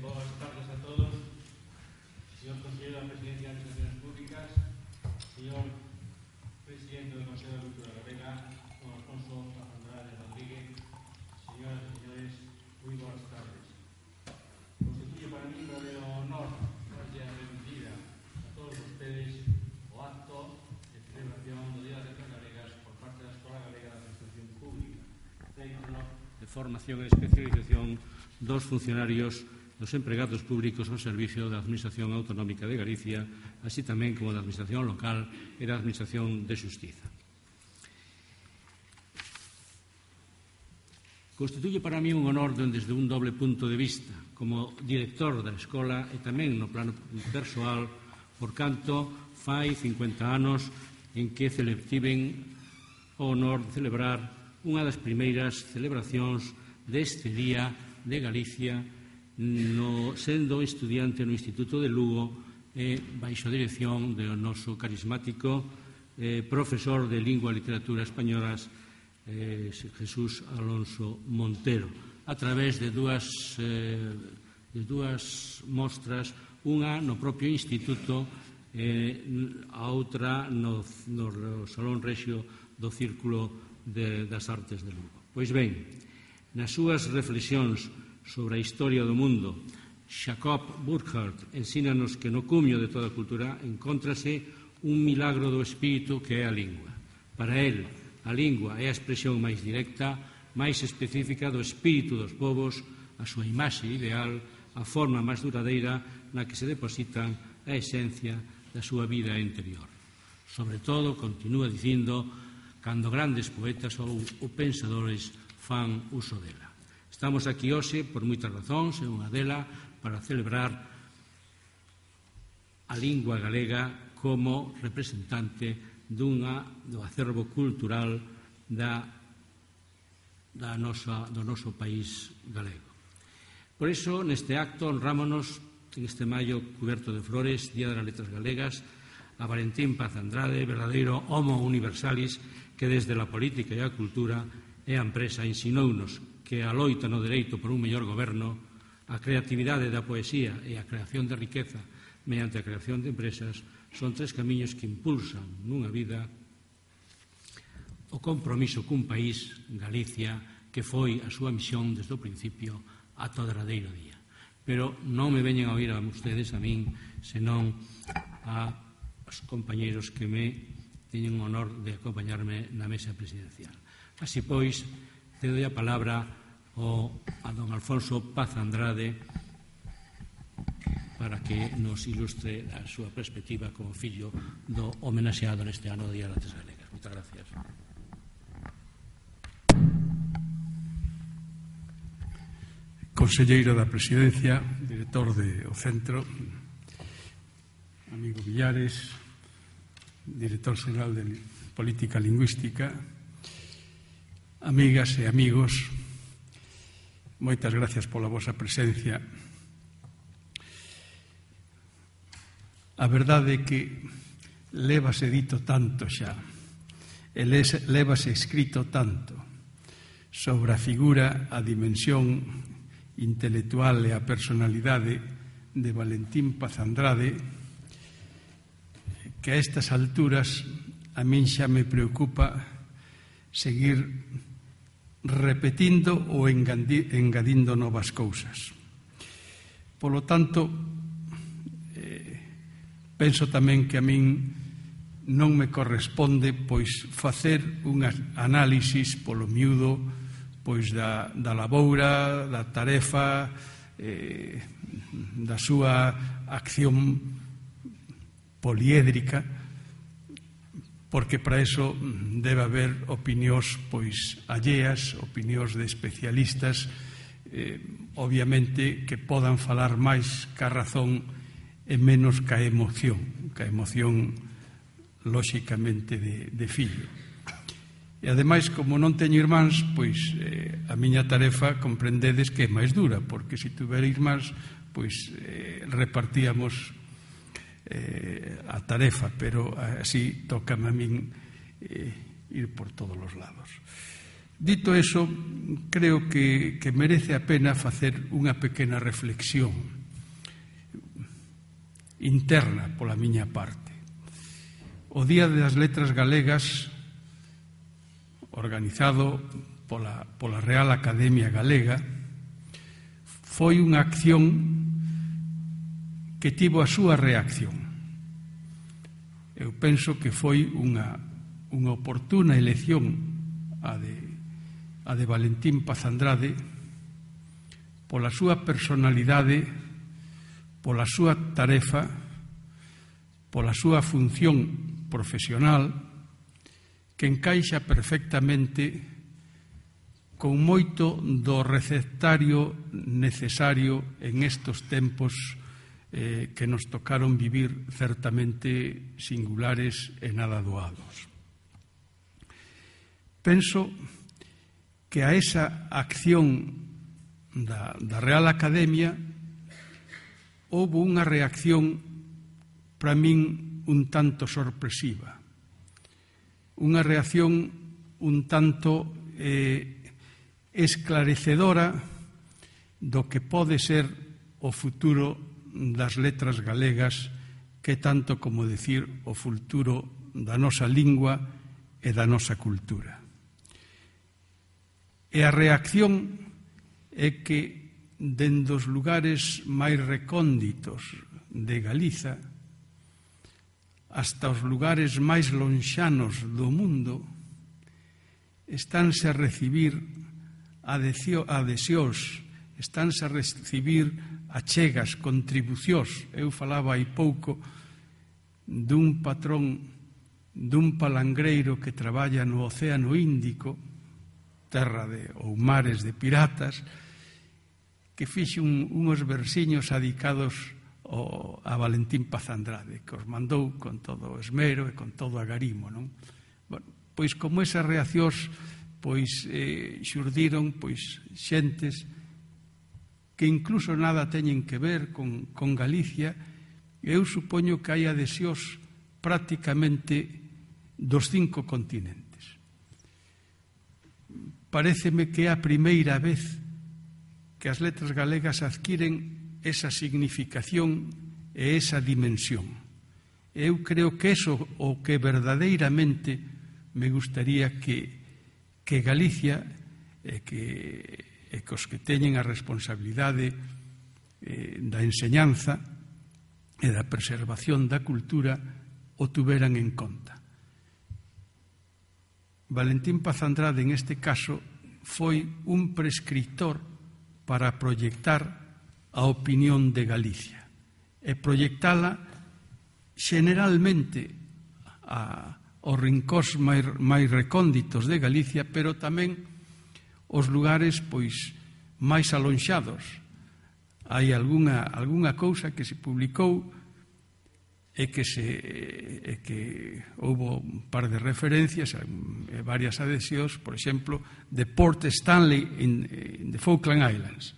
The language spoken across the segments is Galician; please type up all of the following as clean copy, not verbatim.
Boas tardes a todos. Señor Conselleiro da Presidencia de Administraciones Públicas, señor Presidente do Consello da Cultura Galega, don Alfonso Andrade Rodríguez, señoras e señores, moi boas tardes. Constituye para mí un verdadero honor darlle a benvida a todos ustedes o acto de celebración do Día das Letras Galegas por parte da Escola Galega da Administración Pública, centro de formación e especialización dos funcionarios dos empregados públicos ao servicio da Administración Autonómica de Galicia, así tamén como da Administración Local e da Administración de Xustiza. Constituye para mí un honor desde un doble punto de vista, como director da escola e tamén no plano persoal, por canto fai 50 anos en que tiven o honor de celebrar unha das primeiras celebracións deste Día de Galicia, sendo estudiante no Instituto de Lugo e baixo a dirección do noso carismático profesor de Lingua e Literatura Españolas, Jesús Alonso Montero, a través de dúas mostras, unha no propio instituto e a outra no Salón Rexio do Círculo das Artes de Lugo. Pois ben, nas súas reflexións sobre a historia do mundo, Jacob Burckhardt ensínanos que no cumio de toda cultura encóntrase un milagro do espírito que é a lingua. Para él, a lingua é a expresión máis directa, máis específica do espírito dos povos, a súa imaxe ideal, a forma máis duradeira na que se depositan a esencia da súa vida interior. Sobre todo, continúa dicindo, cando grandes poetas ou pensadores fan uso dela. Estamos aquí hoxe por moitas razóns, e unha dela para celebrar a lingua galega como representante do acervo cultural do noso país galego. Por iso, neste acto, honrámonos en este maio cuberto de flores, Día das Letras Galegas, a Valentín Paz Andrade, verdadeiro homo universalis que desde a política e a cultura e a empresa ensinounos que a loita no dereito por un mellor goberno, a creatividade da poesía e a creación de riqueza mediante a creación de empresas son tres camiños que impulsan nunha vida o compromiso cun país, Galicia, que foi a súa misión desde o principio ata o derradeiro día. Pero non me veñen a oír a ustedes, a min, senón a os compañeiros que me teñen o honor de acompañarme na mesa presidencial. Así pois, cedo a palabra a don Alfonso Paz Andrade para que nos ilustre a súa perspectiva como fillo do homenaxeado neste ano do Día das Letras Galegas. Moitas gracias. Conselleiro da Presidencia, director do Centro, amigo Villares, director xeral de Política Lingüística, amigas e amigos, moitas gracias pola vosa presencia. A verdade é que lévase dito tanto xa, e lévase escrito tanto sobre a figura, a dimensión intelectual e a personalidade de Valentín Paz Andrade, que a estas alturas a min xa me preocupa seguir repetindo ou engadindo novas cousas. Polo tanto, penso tamén que a min non me corresponde pois facer un análisis polo miúdo pois da laboura, da tarefa, da súa acción poliédrica, porque para iso debe haber opinións pois alleas, opinións de especialistas, obviamente que podan falar máis ca razón e menos ca emoción lóxicamente de fillo. E ademais, como non teño irmáns, pois a miña tarefa comprendedes que é máis dura, porque se tuvera irmáns, pois repartíamos a tarefa, pero así tócame a min ir por todos os lados. Dito eso, creo que merece a pena facer unha pequena reflexión interna pola miña parte. O Día das Letras Galegas, organizado pola Real Academia Galega, foi unha acción que tivo a súa reacción. Eu penso que foi unha oportuna elección a de Valentín Paz Andrade pola súa personalidade, pola súa tarefa, pola súa función profesional, que encaixa perfectamente con moito do receptario necesario en estos tempos que nos tocaron vivir certamente singulares e nada doados. Penso que a esa acción da Real Academia houve unha reacción para min un tanto sorpresiva, unha reacción un tanto esclarecedora do que pode ser o futuro das letras galegas, que tanto como decir o futuro da nosa lingua e da nosa cultura. E a reacción é que dende os lugares máis recónditos de Galiza hasta os lugares máis lonxanos do mundo estánse a recibir adhesións, estánse a recibir achegas, contribucións. Eu falaba hai pouco dun patrón dun palangreiro que traballa no Océano Índico, terra ou mares de piratas, que fixe uns versiños adicados a Valentín Paz Andrade, que os mandou con todo o esmero e con todo o agarimo, non? Bueno, pois como esas reaccións xurdiron xentes que incluso nada teñen que ver con Galicia. Eu supoño que hai adhesións prácticamente dos 5 continentes. Paréceme que é a primeira vez que as letras galegas adquiren esa significación e esa dimensión. Eu creo que eso o que verdadeiramente me gustaría que Galicia e que os que teñen a responsabilidade da enseñanza e da preservación da cultura o tuveran en conta. Valentín Paz Andrade, en este caso, foi un prescritor para proyectar a opinión de Galicia e proyectala generalmente aos rincóns máis recónditos de Galicia, pero tamén os lugares máis alonxados. Hai algunha cousa que se publicou e que houve un par de referencias, varias adhesións, por exemplo, de Port Stanley in the Falkland Islands.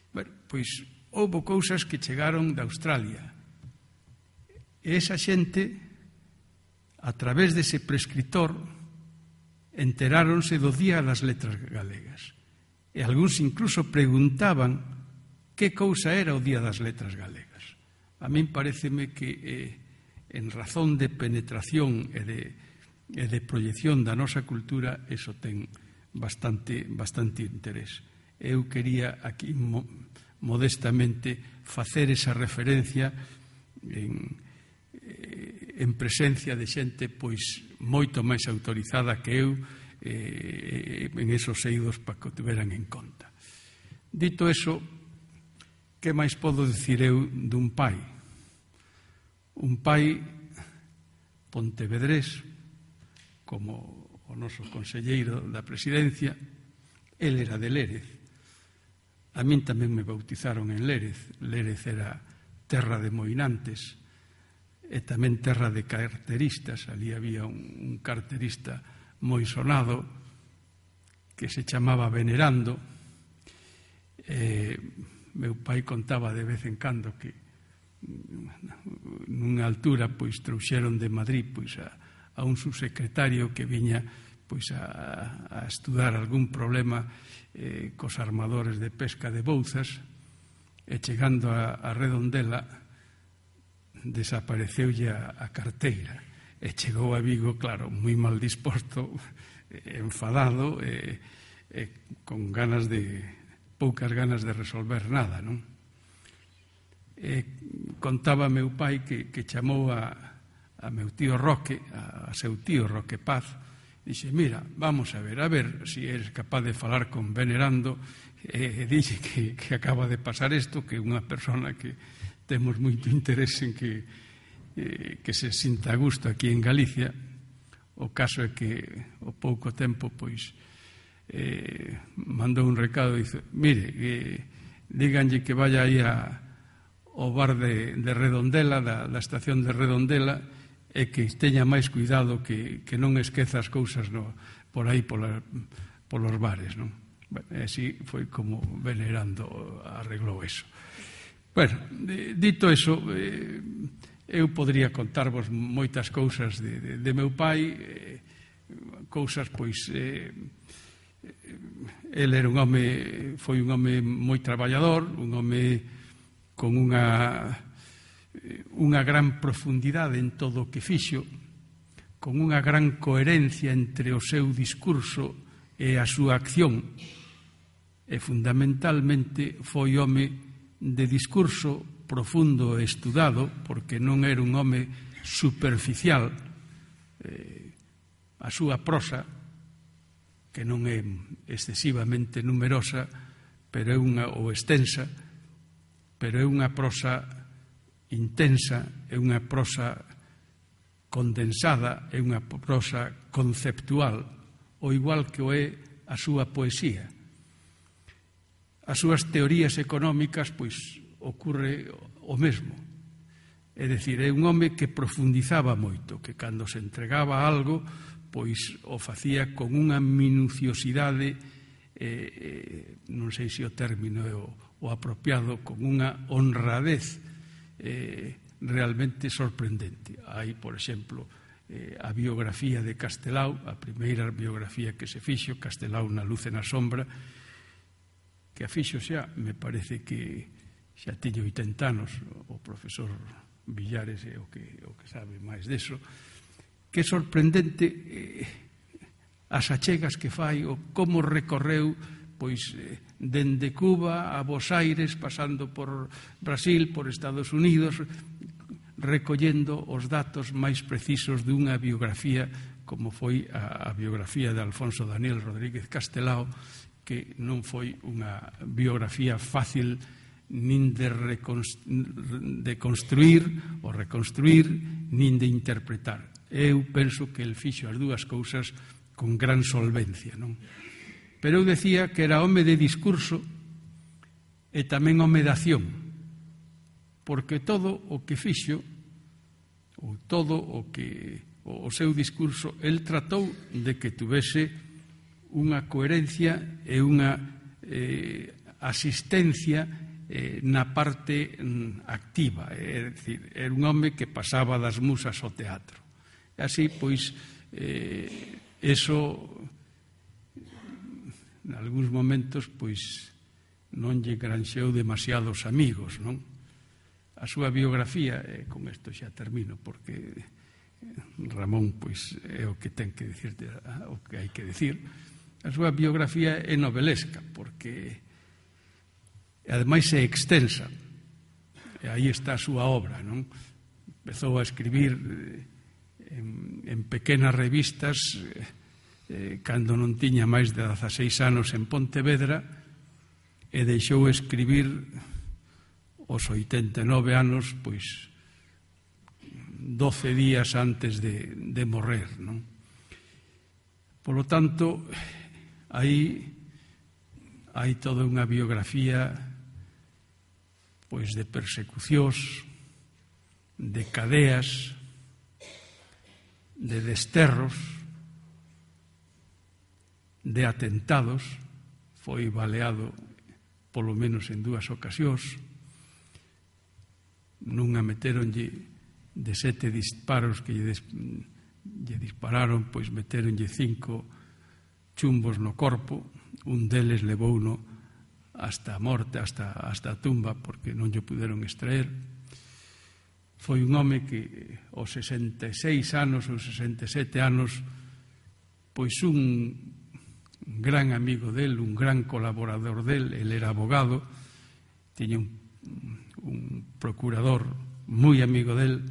Bueno, pois houve cousas que chegaron de Australia. E esa xente, a través dese prescritor, enteráronse do Día das Letras Galegas. E algúns incluso preguntaban que cousa era o Día das Letras Galegas. A min paréceme que en razón de penetración e de proyección da nosa cultura, eso ten bastante interés. Eu quería aquí modestamente facer esa referencia en presencia de xente moito máis autorizada que eu en esos eidos para que o tiveran en conta. Dito eso, que máis podo dicir eu dun pai? Un pai pontevedrés, como o noso conselleiro da presidencia. El era de Lérez. A min tamén me bautizaron en Lérez. Lérez era terra de moinantes e tamén terra de carteristas. Ali había un carterista moi sonado que se chamaba Venerando. Meu pai contaba de vez en cando que nunha altura trouxeron de Madrid a un subsecretario que viña pois a estudar algún problema cos armadores de pesca de Bouzas, e chegando a Redondela desapareceulle a carteira e chegou a Vigo, claro, moi mal disposto, enfadado e con poucas ganas de resolver nada, non? Contaba meu pai que chamou a meu tío Roque, a seu tío Roque Paz, dixe, mira, vamos a ver se eres capaz de falar con Venerando, e dixe que acaba de pasar isto, que unha persona que temos moito interés en que se sinta a gusto aquí en Galicia. O caso é que ao pouco tempo pois mandou un recado e dice, mire, díganlle que vaya aí ao bar de Redondela, da estación de Redondela, e que teña máis cuidado, que non esqueza as cousas por aí polos bares, non? Así foi como Venerando arreglou eso. Bueno, dito eso, eu podría contarvos moitas cousas de meu pai, cousas, pois, el era foi un home moi traballador, un home con unha gran profundidade en todo o que fixo, con unha gran coherencia entre o seu discurso e a súa acción, e fundamentalmente foi home de discurso profundo e estudado, porque non era un home superficial. A súa prosa, que non é excesivamente numerosa, pero é ou extensa, pero é unha prosa intensa, é unha prosa condensada, é unha prosa conceptual, o igual que o é a súa poesía. As súas teorías económicas, pois, ocurre o mesmo. É dicir, é un home que profundizaba moito, que cando se entregaba a algo, pois o facía con unha minuciosidade, non sei se o término é o apropiado, con unha honradez realmente sorprendente. Hai, por exemplo, a biografía de Castelao, a primeira biografía que se fixo, Castelao na luz e na sombra, que a fixo xa, me parece que xa tiña 80 anos, o profesor Villares é o que sabe máis deso, que é sorprendente as achegas que fai, o como recorreu, pois, dende Cuba a Buenos Aires, pasando por Brasil, por Estados Unidos, recollendo os datos máis precisos dunha biografía como foi a biografía de Alfonso Daniel Rodríguez Castelao, que non foi unha biografía fácil nin de construir ou reconstruir, nin de interpretar. Eu penso que el fixo as dúas cousas con gran solvencia, non? Pero eu decía que era home de discurso e tamén home de acción, porque todo o que fixo, ou todo o seu discurso, el tratou de que tuvese unha coherencia e unha asistencia na parte activa, é dicir, era un home que pasaba das musas ao teatro. E así, pois, eso, en algúns momentos, pois, non lle granxeou demasiados amigos, non? A súa biografía, con isto xa termino, porque Ramón, pois, é o que ten que dicir, o que hai que dicir. A súa biografía é novelesca, porque ademais é extensa, e aí está a súa obra, non? Empezou a escribir en pequenas revistas cando non tiña máis de 16 anos en Pontevedra, e deixou escribir aos 89 anos, pois 12 días antes de morrer, non? Polo tanto, aí hai toda unha biografía, pois, de persecucións, de cadeas, de desterros, de atentados. Foi baleado polo menos en 2 ocasións. Nunha meteronlle de 7 disparos que lle lle dispararon, pois meteronlle 5 chumbos no corpo, un deles levouno hasta a morte, hasta a tumba, porque non lle puderon extraer. Foi un home que aos 66 anos ou 67 anos, pois un gran amigo del, un gran colaborador del, el era abogado, tiña un procurador moi amigo del,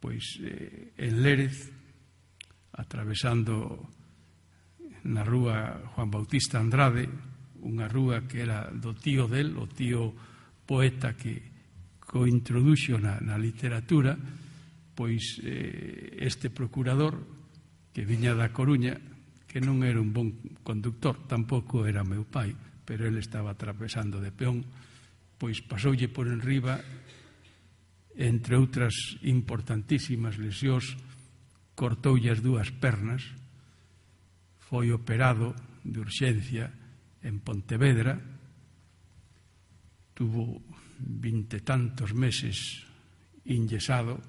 pois en Lérez, atravesando na rúa Juan Bautista Andrade, unha rúa que era do tío del, o tío poeta que o introduxo na literatura, pois este procurador que viña da Coruña, que non era un bon conductor, tampouco era meu pai, pero ele estaba atravesando de peón, pois pasoulle por enriba, entre outras importantísimas lesións, cortoulle as 2 pernas, foi operado de urxencia en Pontevedra, tuvo 20 e tantos meses inyesado,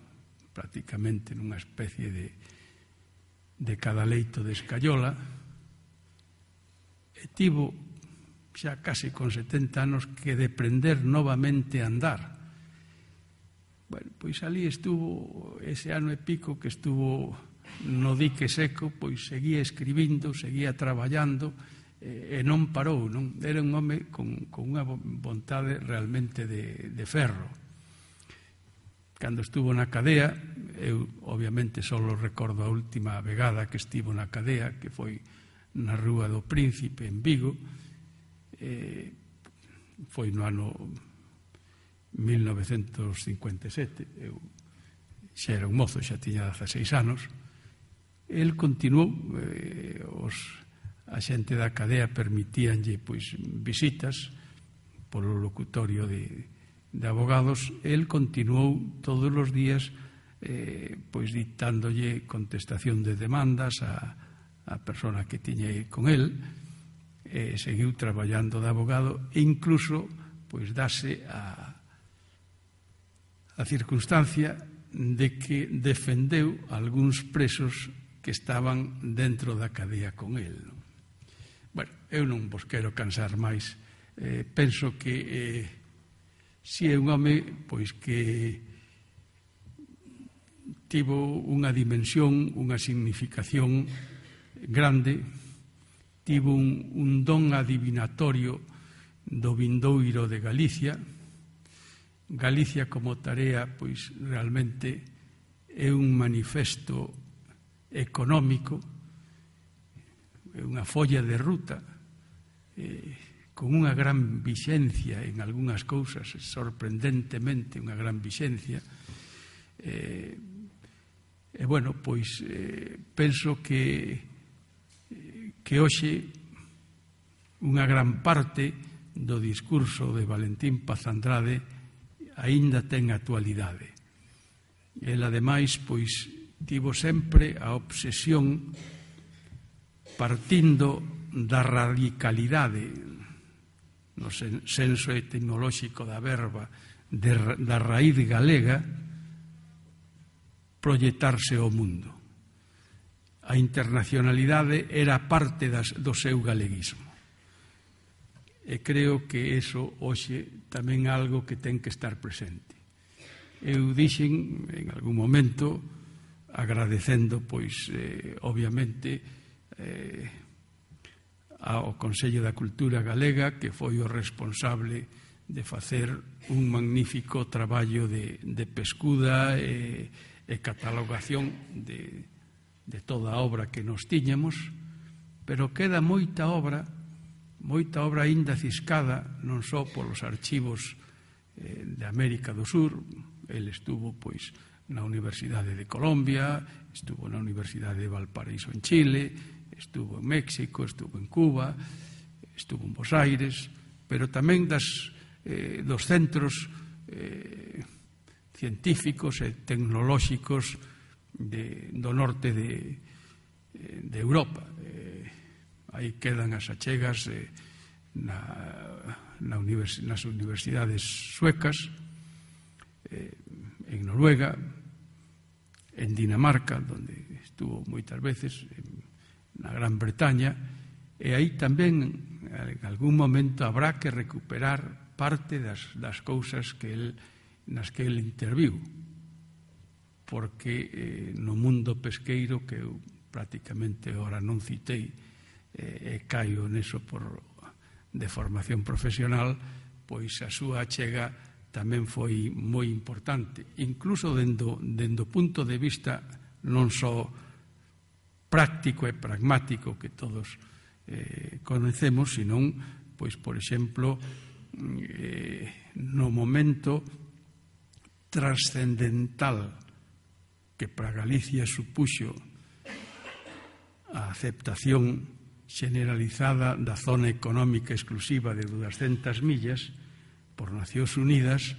prácticamente nunha especie de cadaleito de escayola, e tivo xa case con 70 anos que deprender novamente a andar. Bueno, pois ali estuvo ese ano e pico que estuvo no dique seco, pois seguía escribindo, seguía traballando, e non parou, non? Era un home con unha vontade realmente de ferro. Cando estuvo na cadea, eu obviamente só recordo a última vegada que estivo na cadea, que foi na Rúa do Príncipe en Vigo, foi no ano 1957, eu xa era un mozo, xa tiña 16 anos. El continuou, a xente da cadea permitíanlle pois visitas polo locutorio de abogados. El continuou todos os días pois dictándolle contestación de demandas a persona que tiña con el, seguiu traballando de abogado e incluso pois dase a circunstancia de que defendeu algúns presos que estaban dentro da cadea con el. Bueno, eu non vos quero cansar máis. Penso que si é un home pois que tivo unha dimensión, unha significación grande, tivo un don adivinatorio do vindoiro de Galicia. Galicia como tarea pois realmente é un manifesto económico, unha folla de ruta con unha gran vixencia en algunhas cousas, sorprendentemente unha gran vixencia. E bueno, pois penso que hoxe unha gran parte do discurso de Valentín Paz Andrade aínda ten actualidade. El, ademais, pois tivo sempre a obsesión, partindo da radicalidade no senso etimolóxico da verba da raíz galega, proyectarse ao mundo. A internacionalidade era parte do seu galeguismo. E creo que eso hoxe tamén é algo que ten que estar presente. Eu dixen en algún momento, agradecendo pois obviamente ao Consello da Cultura Galega, que foi o responsable de facer un magnífico traballo de pescuda e catalogación de toda a obra que nos tiñamos, pero queda moita obra aínda ciscada, non só polos archivos de América do Sur. El estuvo pois na Universidade de Colombia, estuvo na Universidade de Valparaíso en Chile, estuvo en México, estuvo en Cuba, estuvo en Buenos Aires, pero tamén dos centros científicos e tecnolóxicos do norte de Europa. Aí quedan as achegas nas universidades suecas, en Noruega, en Dinamarca, onde estuvo moitas veces, na Gran Bretaña, e aí tamén en algún momento habrá que recuperar parte das cousas nas que el interviu, porque no mundo pesqueiro, que eu prácticamente ora non citei, e caio neso de formación profesional, pois a súa achega tamén foi moi importante, incluso dendo o punto de vista non só práctico e pragmático que todos conocemos, senón, pois, por exemplo, no momento trascendental que para Galicia supuxo a aceptación generalizada da zona económica exclusiva de 200 millas por Nacións Unidas,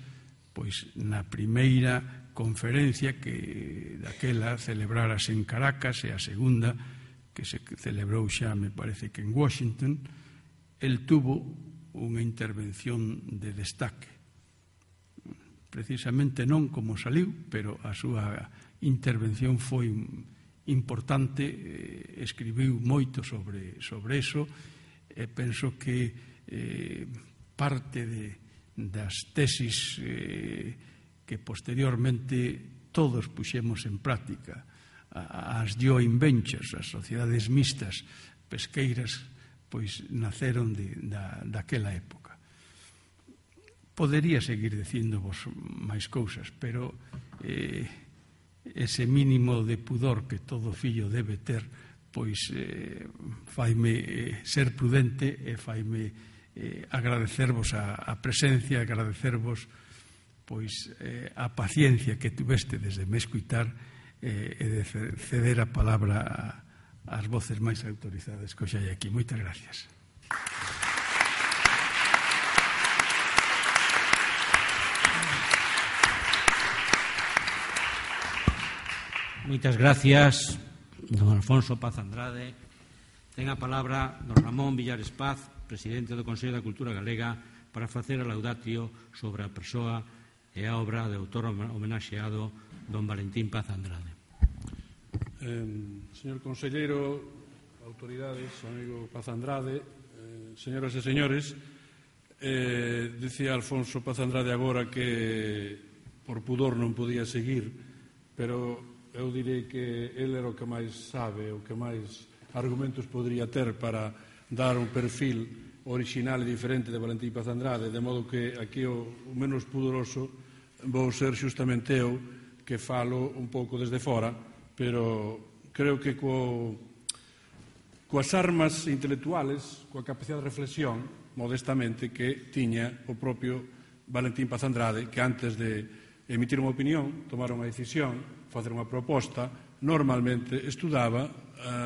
pois na primeira conferencia que daquela celebrarase en Caracas e a segunda que se celebrou xa, me parece que en Washington, el tuvo unha intervención de destaque. Precisamente non como saliu, pero a súa intervención foi importante, escribiu moito sobre eso, e penso que parte das tesis que posteriormente todos puxemos en práctica, as joint ventures, as sociedades mixtas pesqueiras, pois naceron daquela época. Podería seguir dicíndovos máis cousas, pero ese mínimo de pudor que todo fillo debe ter, pois faime ser prudente e faime agradecervos a presencia, agradecervos pois a paciencia que tuveste desde me escuitar e de ceder a palabra ás voces máis autorizadas que hoxe hai aquí. Moitas gracias. Moitas gracias, don Alfonso Paz Andrade. Ten a palabra don Ramón Villares Paz, presidente do Consello da Cultura Galega, para facer a laudatio sobre a persoa e a obra de autor homenaxeado don Valentín Paz Andrade. Señor conselleiro, autoridades, amigo Paz Andrade, señoras e señores, dicía Alfonso Paz Andrade agora que por pudor non podía seguir, pero eu direi que ele era o que máis sabe, o que máis argumentos podría ter para dar un perfil original e diferente de Valentín Paz Andrade, de modo que aquí o menos pudoroso vou ser xustamente eu, que falo un pouco desde fora, pero creo que coas armas intelectuales, coa capacidade de reflexión, modestamente, que tiña o propio Valentín Paz Andrade, que antes de emitir unha opinión, tomar unha decisión, facer unha proposta, normalmente estudaba,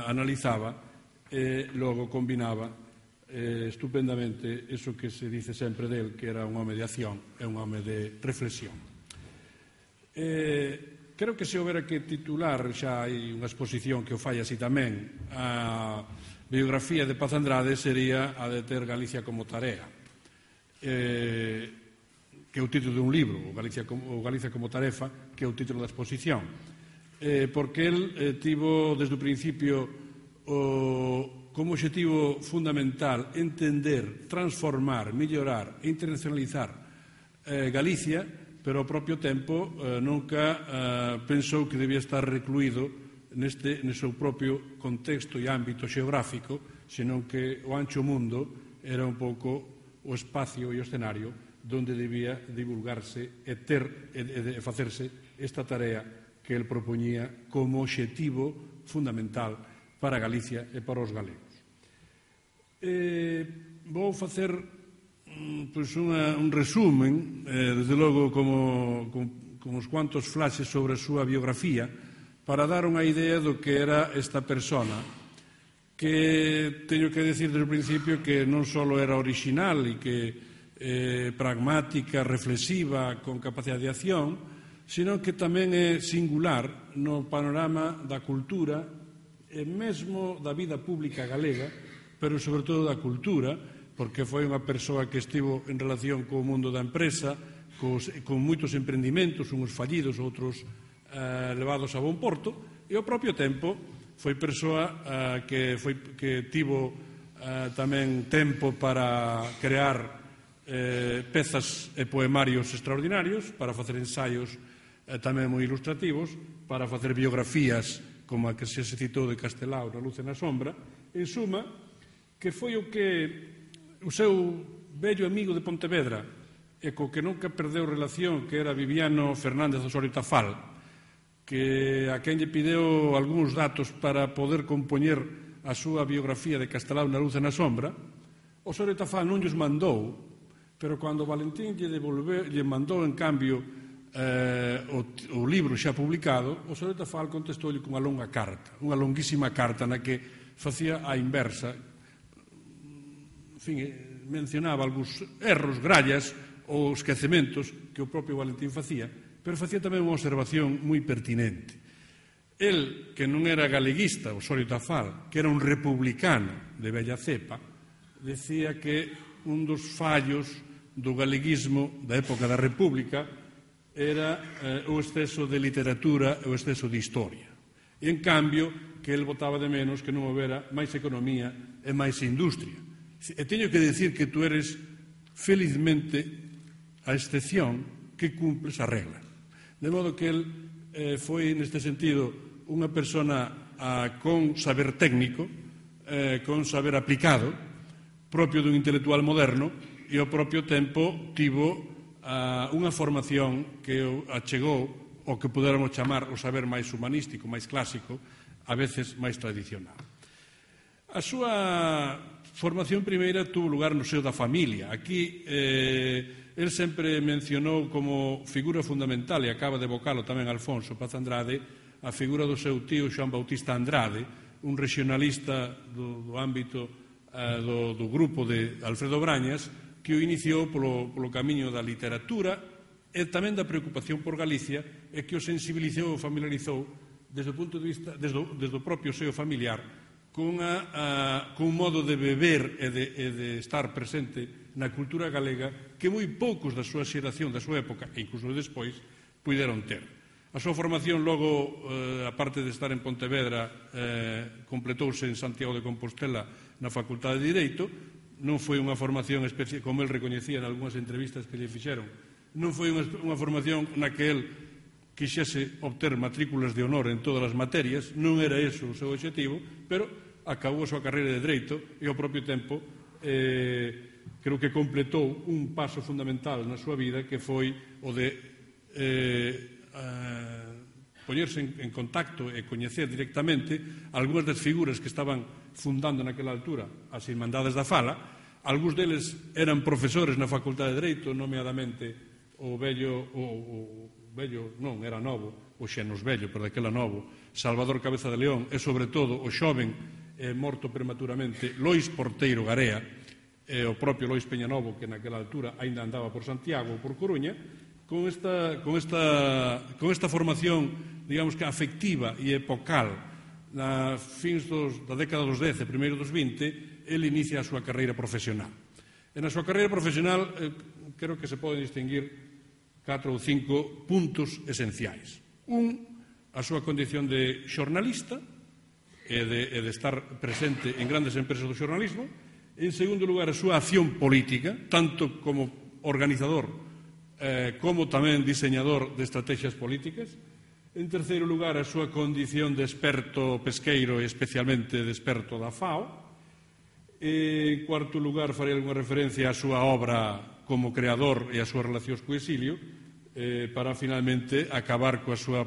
analizaba e logo combinaba estupendamente eso que se dice sempre del, que era un home de acción e un home de reflexión. Creo que se houbera que titular, xa hai unha exposición que o fai así tamén, a biografía de Paz Andrade sería a de ter Galicia como tarea, que é o título de un libro, o Galicia como tarefa, que é o título da exposición, porque el tivo desde o principio como obxectivo fundamental entender, transformar, mellorar e internacionalizar Galicia, pero ao propio tempo nunca pensou que debía estar recluído no seu propio contexto e ámbito xeográfico, senón que o ancho mundo era un pouco o espacio e o escenario donde debía divulgarse e facerse esta tarea que el propoñía como obxectivo fundamental para Galicia e para os galegos. Vou facer un resumen, desde logo como uns cuantos flashes sobre a súa biografía, para dar unha idea do que era esta persona, que teño que decir desde o principio que non só era original e que pragmática, reflexiva, con capacidade de acción, sino que tamén é singular no panorama da cultura e mesmo da vida pública galega, pero sobre todo da cultura, porque foi unha persoa que estivo en relación co mundo da empresa, con moitos emprendimentos, uns fallidos, outros levados a bon porto, e ao propio tempo foi persoa que tivo tamén tempo para crear pezas e poemarios extraordinarios, para facer ensaios tamén moi ilustrativos, para facer biografías como a que se citou de Castelao na Luz e na Sombra. En suma, que foi o seu vello amigo de Pontevedra e co que nunca perdeu relación, que era Viviano Fernández Osorio Tafal, que a quen lle pideu algúns datos para poder compoñer a súa biografía de Castelao na Luz e na Sombra. Osorio Tafal non lles mandou, pero cando Valentín lle mandou en cambio o libro xa publicado, Osorio Tafal contestoulle cunha longa carta, unha longuísima carta na que facía a inversa, en fin, mencionaba algúns erros, grallas ou esquecementos que o propio Valentín facía, pero facía tamén unha observación moi pertinente. El, que non era galeguista, Osorio Tafal, que era un republicano de bella cepa, decía que un dos fallos do galeguismo da época da República era o exceso de literatura e o exceso de historia. E, en cambio, que el botaba de menos que non houbera máis economía e máis industria. E teño que decir que tú eres felizmente a excepción que cumples a regla. De modo que el foi, neste sentido, unha persona con saber técnico, con saber aplicado, propio dun intelectual moderno, e ao propio tempo tivo unha formación que achegou o que puderamos chamar o saber máis humanístico, máis clásico, a veces máis tradicional. A súa formación primeira tuvo lugar no seo da familia. Aquí el sempre mencionou como figura fundamental, e acaba de evocalo tamén Alfonso Paz Andrade, a figura do seu tío Xoán Bautista Andrade, un regionalista do ámbito do grupo de Alfredo Brañas, que o iniciou polo camiño da literatura e tamén da preocupación por Galicia, e que o sensibilizou e familiarizou desde o punto de vista, desde o propio seo familiar, cun modo de beber e de estar presente na cultura galega que moi poucos da súa xeración, da súa época, e incluso despois, puideron ter. A súa formación logo, aparte de estar en Pontevedra, completouse en Santiago de Compostela na Facultade de Direito. Non foi unha formación especial, como el recoñecía en algunhas entrevistas que lle fixeron, non foi unha formación na que el quixese obter matrículas de honor en todas as materias, non era eso o seu objetivo, pero acabou a súa carreira de Dereito e ao propio tempo creo que completou un paso fundamental na súa vida, que foi o de poñerse en contacto e coñecer directamente algunhas das figuras que estaban fundando naquela altura as Irmandades da Fala. Algúns deles eran profesores na Facultade de Dereito, nomeadamente o vello, non, era novo, o xenos vello, pero daquela novo, Salvador Cabeza de León, e sobre todo o xoven morto prematuramente Lois Porteiro Garea, e o propio Lois Peñanovo, que naquela altura aínda andaba por Santiago ou por Coruña. Con esta formación, digamos que afectiva e epocal, na fins da década dos 10 e primeiro dos 20, ele inicia a súa carreira profesional. E na súa carreira profesional creo que se poden distinguir 4 ou 5 puntos esenciais. A súa condición de xornalista e de estar presente en grandes empresas do xornalismo. En segundo lugar, a súa acción política, tanto como organizador como tamén diseñador de estrategias políticas. En terceiro lugar, a súa condición de experto pesqueiro e especialmente de experto da FAO. En cuarto lugar, farei algunha referencia á súa obra como creador e as súas relacións co exilio, para finalmente acabar coa súa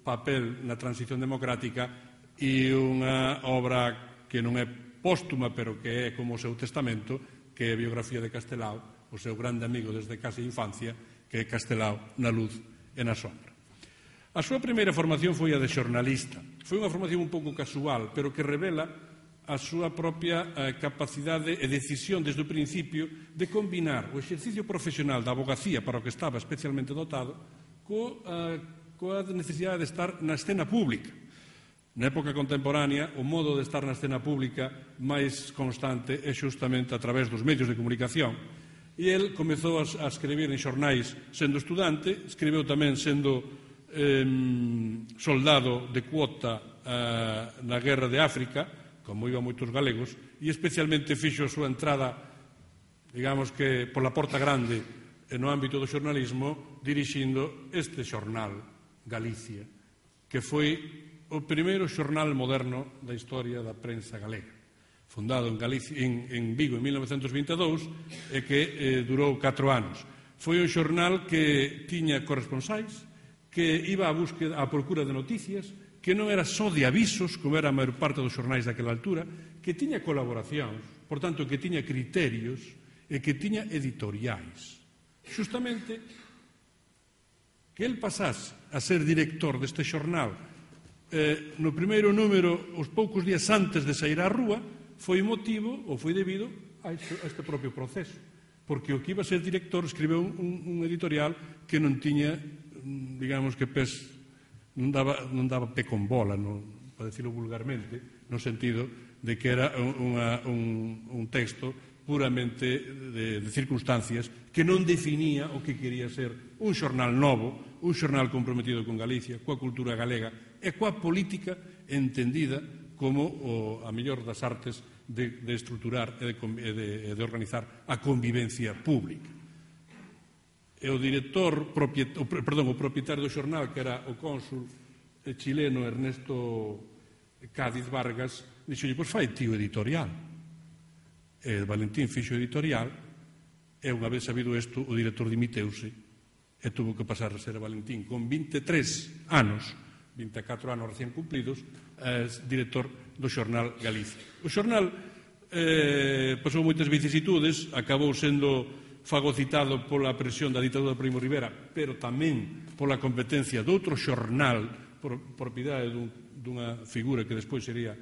papel na transición democrática e unha obra que non é póstuma, pero que é como o seu testamento, que é a biografía de Castelao, o seu grande amigo desde case infancia, que é Castelao na Luz e na Sombra. A súa primeira formación foi a de xornalista. Foi unha formación un pouco casual, pero que revela a súa propia capacidade e decisión desde o principio de combinar o exercicio profesional da abogacía, para o que estaba especialmente dotado, coa necesidade de estar na escena pública. Na época contemporánea, o modo de estar na escena pública máis constante é xustamente a través dos medios de comunicación. E el comezou a escribir en xornais sendo estudante, escribeu tamén sendo soldado de cuota na guerra de África, como iban moitos galegos, e especialmente fixo a súa entrada, digamos que pola porta grande no ámbito do xornalismo, dirixindo este xornal, Galicia, que foi o primeiro xornal moderno da historia da prensa galega, fundado en Vigo en 1922 e que durou 4 anos. Foi un xornal que tiña corresponsais, que iba á procura de noticias, que non era só de avisos, como era a maior parte dos xornais daquela altura, que tiña colaboracións, por tanto, que tiña criterios e que tiña editoriais. Justamente que el pasase a ser director deste xornal no primeiro número, os poucos días antes de sair á rúa, foi motivo ou foi debido a este propio proceso, porque o que iba a ser director escribeu un editorial que non tiña, digamos que non daba pé con bola, para decirlo vulgarmente, no sentido de que era un texto puramente de circunstancias que non definía o que quería ser un xornal novo, un xornal comprometido con Galicia, coa cultura galega e coa política entendida como a mellor das artes de estruturar e de organizar a convivencia pública. E o propietario do xornal, que era o cónsul chileno Ernesto Cádiz Vargas, dixolle, pois fai tío editorial. E Valentín fixo editorial, e unha vez sabido isto, o director dimiteuse e tuvo que pasar a ser Valentín con 23 anos, 24 anos recién cumplidos, director do xornal Galicia. O xornal pasou moitas vicisitudes, acabou sendo fagocitado pola presión da ditadura de Primo Rivera, pero tamén pola competencia de outro xornal, propiedade dunha figura que despois sería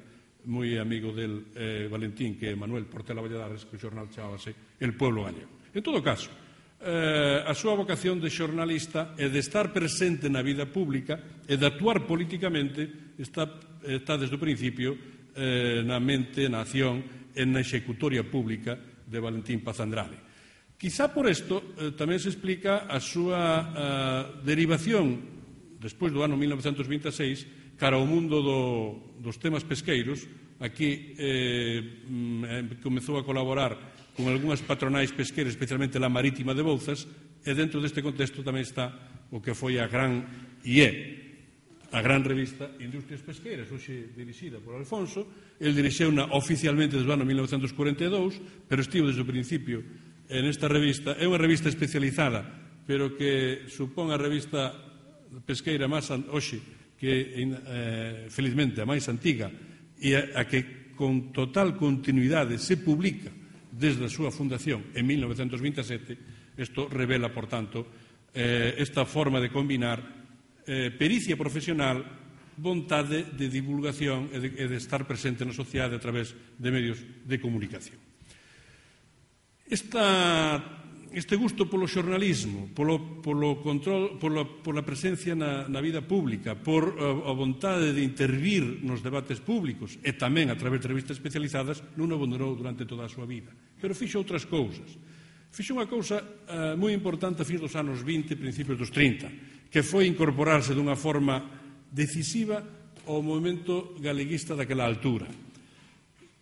moi amigo del Valentín, que é Manuel Portela Valladares, que o xornal chábase El Pueblo Gallego. En todo caso, a súa vocación de xornalista e de estar presente na vida pública e de actuar políticamente está desde o principio na mente, na acción e na executoria pública de Valentín Paz Andrade. Quizá por isto tamén se explica a súa derivación despois do ano 1926 cara ao mundo dos temas pesqueiros. Aquí comezou a colaborar con algunhas patronais pesqueiras, especialmente la Marítima de Bouzas, e dentro deste contexto tamén está o que foi a gran revista Industrias Pesqueiras, hoxe dirixida por Alfonso. El dirixeuna oficialmente desde o ano 1942, pero estivo desde o principio nesta revista. É unha revista especializada, pero que supón a revista pesqueira máis hoxe, que felizmente a máis antiga, e a que con total continuidade se publica desde a súa fundación en 1927. Isto revela, por tanto, esta forma de combinar pericia profesional, vontade de divulgación e de estar presente na sociedade a través de medios de comunicación. Este gusto polo xornalismo, polo control, pola presencia na vida pública, por a vontade de intervir nos debates públicos e tamén a través de revistas especializadas, non abandonou durante toda a súa vida. Pero fixo outras cousas. Fixo unha cousa moi importante a fins dos anos 20, principios dos 30, que foi incorporarse dunha forma decisiva ao movimento galeguista daquela altura.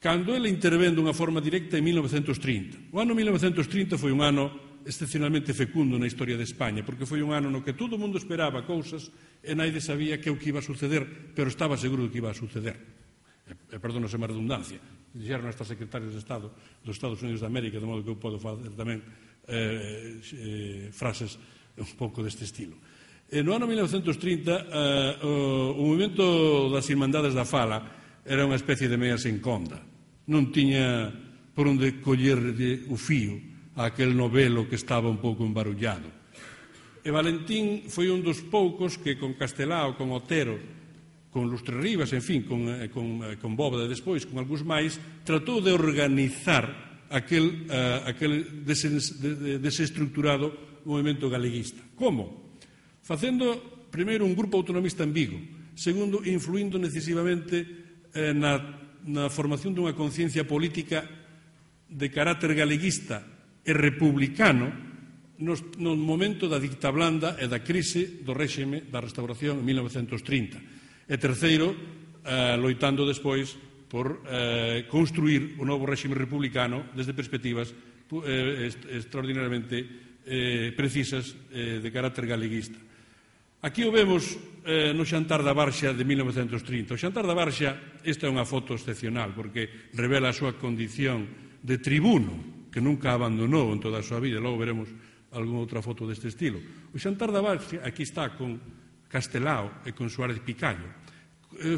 Cando ele intervén dunha forma directa en 1930. O ano 1930 foi un ano excepcionalmente fecundo na historia de España, porque foi un ano no que todo o mundo esperaba cousas e naide sabía que o que iba a suceder, pero estaba seguro que iba a suceder. Perdónose má redundancia. Dixeron estas secretarias de Estado dos Estados Unidos de América, de modo que eu podo facer tamén frases un pouco deste estilo. No ano 1930, o movimento das Irmandades da Fala era unha especie de meia sen conda. Non tiña por onde collerlle o fío a aquel novelo que estaba un pouco embarullado. E Valentín foi un dos poucos que con Castelao, con Otero, con Lustre Rivas, en fin, con Bóveda despois, con algúns máis, tratou de organizar aquel desestructurado movimento galeguista. Como? Facendo, primeiro, un grupo autonomista en Vigo, segundo, influindo decisivamente na formación dunha conciencia política de carácter galeguista e republicano no momento da dicta blanda e da crise do réxime da restauración en 1930. E terceiro, loitando despois por construir o novo réxime republicano desde perspectivas extraordinariamente precisas de carácter galeguista. Aquí o vemos no xantar da Barxa de 1930. O xantar da Barxa, esta é unha foto excepcional porque revela a súa condición de tribuno que nunca abandonou en toda a súa vida. Logo veremos algunha outra foto deste estilo. O xantar da Barxa aquí está con Castelao e con Suárez Picallo.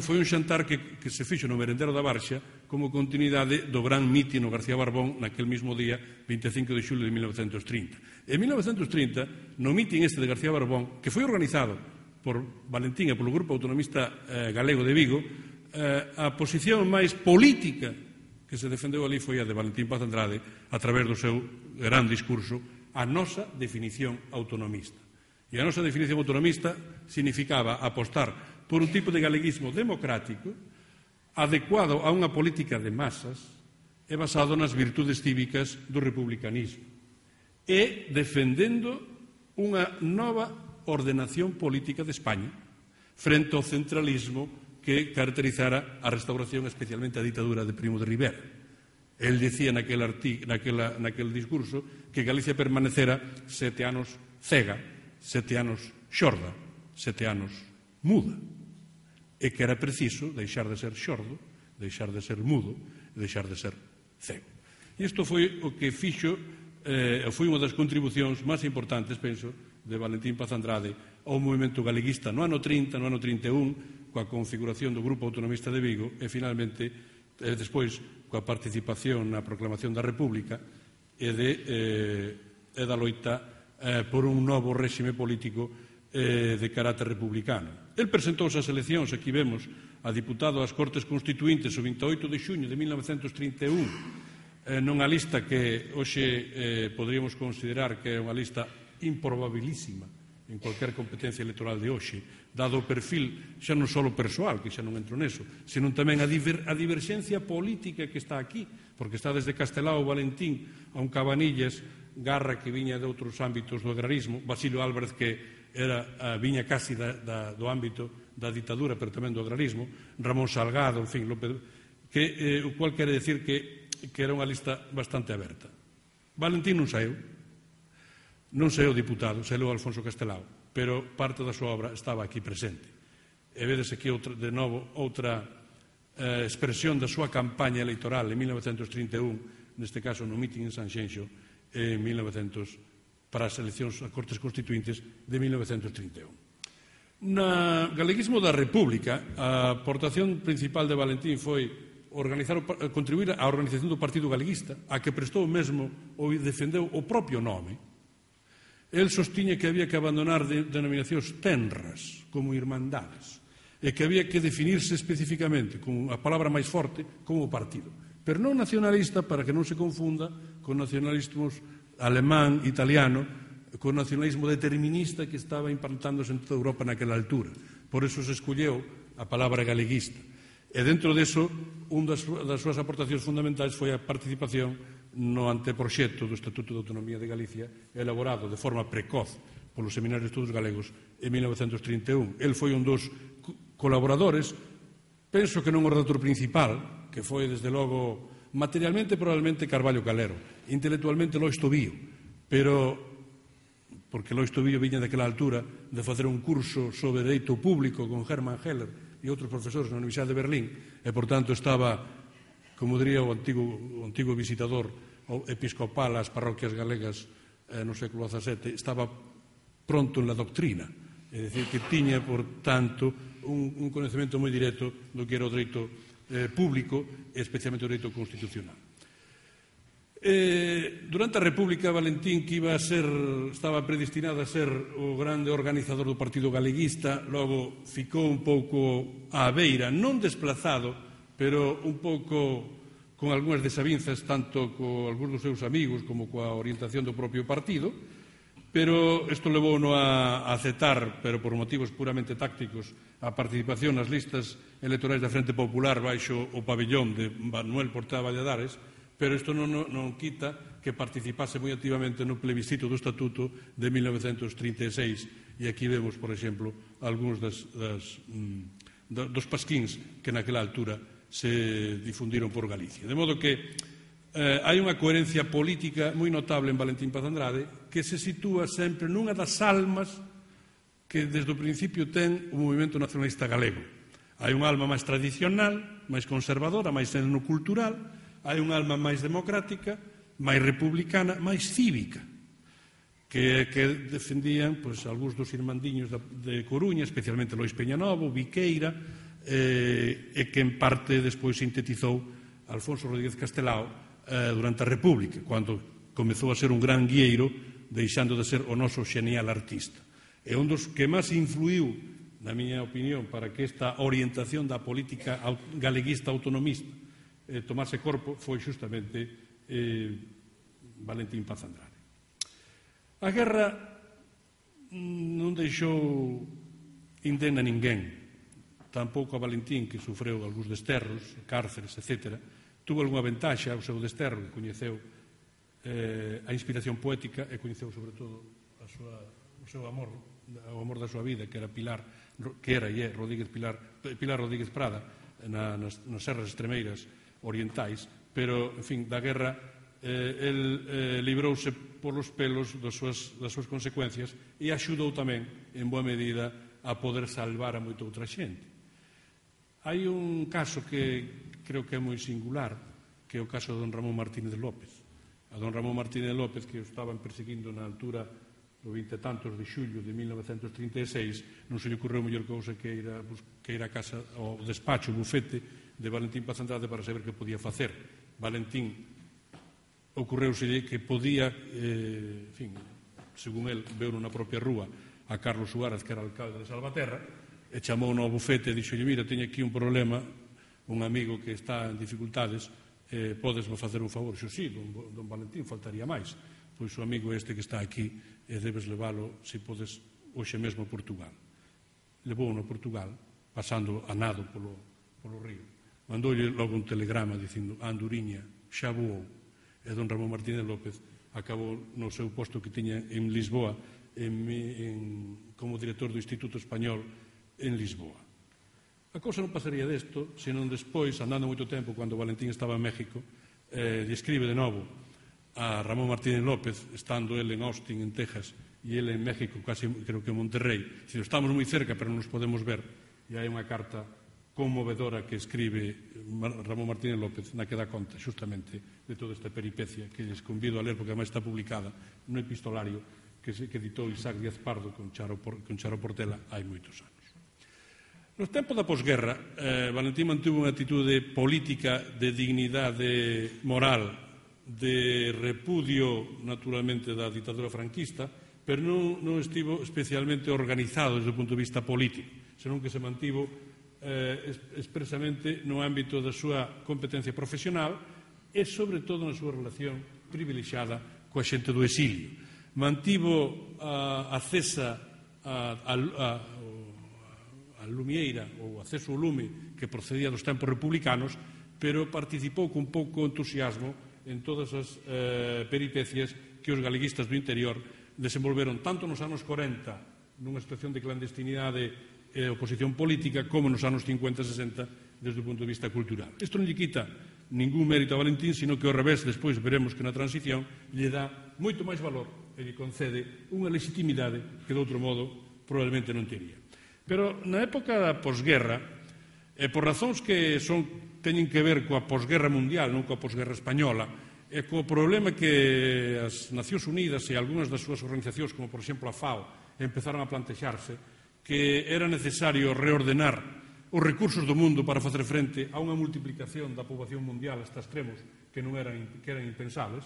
Foi un xantar que se fixo no merendero da Barxa como continuidade do gran mitin no García Barbón naquel mismo día, 25 de xulio de 1930. En 1930, no mitin este de García Barbón, que foi organizado por Valentín e polo Grupo Autonomista Galego de Vigo, a posición máis política que se defendeu ali foi a de Valentín Paz Andrade a través do seu gran discurso, a nosa definición autonomista. E a nosa definición autonomista significaba apostar por un tipo de galeguismo democrático adecuado a unha política de masas e basado nas virtudes cívicas do republicanismo e defendendo unha nova ordenación política de España frente ao centralismo que caracterizara a restauración, especialmente a ditadura de Primo de Rivera. El dicía naquel discurso que Galicia permanecera 7 anos cega, 7 anos xorda, 7 anos muda, e que era preciso deixar de ser xordo, deixar de ser mudo e deixar de ser cego. E isto foi o que fixo, foi unha das contribucións máis importantes, penso, de Valentín Paz Andrade ao movimento galeguista no ano 30, no ano 31, coa configuración do Grupo Autonomista de Vigo e, finalmente, despois, coa participación na proclamación da República e da loita por un novo réxime político de carácter republicano. El presentouse ás eleccións, aquí vemos, a diputado ás Cortes Constituíntes o 28 de xuño de 1931, nunha lista que hoxe poderíamos considerar que é unha lista improbabilísima en cualquier competencia electoral de hoxe, dado o perfil xa non só persoal, que xa non entro neso, senón tamén a diverxencia política que está aquí, porque está desde Castelao Valentín a un Cabanillas, Garra que viña de outros ámbitos do agrarismo, Basilio Álvarez que viña casi do ámbito da ditadura, pero tamén do agrarismo, Ramón Salgado, en fin, o cual quere decir que era unha lista bastante aberta. Valentín non saeu diputado, saeu Alfonso Castelao, pero parte da súa obra estaba aquí presente. E vedes aquí de novo outra expresión da súa campaña electoral en 1931, neste caso no mitin en Sanxenxo, en 1900, para as eleccións a Cortes Constituíntes de 1931. No galeguismo da República, a aportación principal de Valentín foi contribuir á organización do Partido Galeguista, a que prestou mesmo ou defendeu o propio nome. El sostiña que había que abandonar denominacións tenras, como irmandades, e que había que definirse especificamente, con a palabra máis forte, como partido. Pero non nacionalista, para que non se confunda con nacionalismos alemán, italiano, con nacionalismo determinista que estaba implantándose en toda Europa naquela altura. Por eso se escolleu a palabra galeguista. E dentro deso, unha das súas aportacións fundamentais foi a participación no anteproxecto do Estatuto de Autonomía de Galicia, elaborado de forma precoz polo Seminario de Estudos Galegos en 1931. El foi un dos colaboradores, penso que non o redactor principal, que foi, desde logo, materialmente probablemente Carballo Calero, intelectualmente Lois Tobío, pero porque Lois Tobío viña daquela altura de facer un curso sobre dereito público con Hermann Heller e outros profesores na Universidade de Berlín, e, por tanto, estaba, como diría o antigo visitador episcopal ás parroquias galegas no século XVII, estaba pronto en la doctrina, é dicir, que tiña, por tanto, un conhecemento moi directo do que era o dereito público e especialmente o dereito constitucional. Durante a República, Valentín, que estaba predestinado a ser o grande organizador do Partido Galeguista, logo ficou un pouco á beira, non desplazado, pero un pouco con algunhas desavinzas, tanto con algúns dos seus amigos como coa orientación do propio partido, pero isto levouno a aceptar, pero por motivos puramente tácticos, a participación nas listas electorais da Frente Popular baixo o pabellón de Manuel Portela Valladares, pero isto non quita que participase moi activamente no plebiscito do Estatuto de 1936, e aquí vemos, por exemplo, algúns dos pasquíns que naquela altura se difundiron por Galicia. De modo que hai unha coherencia política moi notable en Valentín Paz Andrade, que se sitúa sempre nunha das almas que desde o principio ten o movimento nacionalista galego. Hai unha alma máis tradicional, máis conservadora, máis etnocultural, hai unha alma máis democrática, máis republicana, máis cívica, que defendían algúns dos irmandiños de Coruña, especialmente Lois Peñanovo, Viqueira, e que en parte despois sintetizou Alfonso Rodríguez Castelao durante a República, cando comezou a ser un gran guieiro, deixando de ser o noso xenial artista. E un dos que máis influiu, na miña opinión, para que esta orientación da política galeguista autonomista tomase corpo foi xustamente Valentín Paz Andrade. A guerra non deixou indemne a ninguén, tampouco a Valentín, que sufreu algúns desterros, cárceres, etc. Tuvo algunha ventaxa ao seu desterro, que coñeceu a inspiración poética e coñeceu, sobre todo, o seu amor, o amor da súa vida, que era Pilar Rodríguez Prada, nas serras extremeiras orientais, pero, en fin, da guerra el librouse polos pelos das súas consecuencias e axudou tamén, en boa medida, a poder salvar a moita outra xente. Hai un caso que creo que é moi singular, que é o caso de don Ramón Martínez López. A don Ramón Martínez López, que o estaban perseguindo na altura do 20 e tantos de xullo de 1936, non se lle ocorreu mellor cousa que ir a casa, ao despacho, o bufete de Valentín Paz Andrade para saber que podía facer. Valentín ocorreuselle que podía, según el, veu na propia rúa a Carlos Suárez, que era alcalde de Salvaterra, e chamou no bufete e dixolle: mira, teño aquí un problema, un amigo que está en dificultades, podesme facer un favor? Xo, sí, don Valentín, faltaría máis. Pois o amigo este que está aquí, debes levalo, se podes, hoxe mesmo a Portugal. Levouno a Portugal, pasando a nado polo río. Mandoulle logo un telegrama dicindo: a Anduriña xa voou. E don Ramón Martínez López acabou no seu posto que tiña en Lisboa, como director do Instituto Español en Lisboa. A cousa non pasaría desto, senón despois, andando moito tempo, cando Valentín estaba en México, lle escribe de novo a Ramón Martínez López, estando ele en Austin, en Texas, e ele en México, casi creo que en Monterrey, dicindo: estamos moi cerca, pero non nos podemos ver. E hai unha carta conmovedora que escribe Ramón Martínez López, na que dá conta xustamente de toda esta peripecia, que les convido a ler porque además está publicada nun epistolario que editou Isaac Díaz Pardo con Charo Portela hai moitos anos. No tempo da posguerra, Valentín mantuvo unha actitude política de dignidade moral, de repudio naturalmente da ditadura franquista, pero non estivo especialmente organizado desde o punto de vista político, senón que se mantivo expresamente no ámbito da súa competencia profesional e, sobre todo, na súa relación privilexiada coa xente do exilio. Mantivo acesa a lumieira ou acceso ao lume que procedía dos tempos republicanos, pero participou con pouco entusiasmo en todas as peripecias que os galeguistas do interior desenvolveron tanto nos anos 40 nunha situación de clandestinidade e oposición política, como nos anos 50 e 60 desde o punto de vista cultural. Isto non lle quita ningún mérito a Valentín, sino que ao revés, despois veremos que na transición lle dá moito máis valor e lle concede unha legitimidade que de outro modo probablemente non tería. Pero na época da posguerra, por razóns que teñen que ver coa posguerra mundial, non coa posguerra española, e co problema que as Nacións Unidas e algunhas das súas organizacións, como por exemplo a FAO, empezaron a plantexarse que era necesario reordenar os recursos do mundo para facer frente a unha multiplicación da poboación mundial hasta extremos que eran impensables,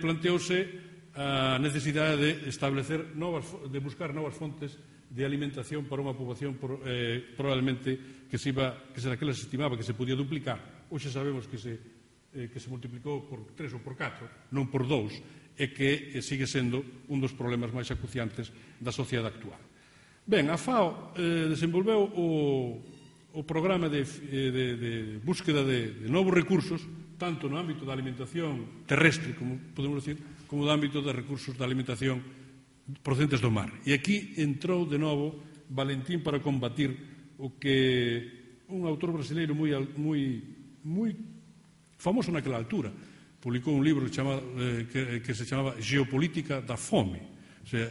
planteouse a necesidade de buscar novas fontes de alimentación para unha poboación probablemente que daquela se estimaba que se podía duplicar. Hoxe sabemos que se multiplicou por 3 ou por 4, non por 2, e que sigue sendo un dos problemas máis acuciantes da sociedade actual. Ben, a FAO desenvolveu o programa de búsqueda de novos recursos tanto no ámbito da alimentación terrestre, como podemos decir, como no ámbito dos recursos da alimentación procedentes do mar. E aquí entrou de novo Valentín para combatir o que un autor brasileiro moi famoso naquela altura publicou un libro que se chamaba Geopolítica da Fome, o sea,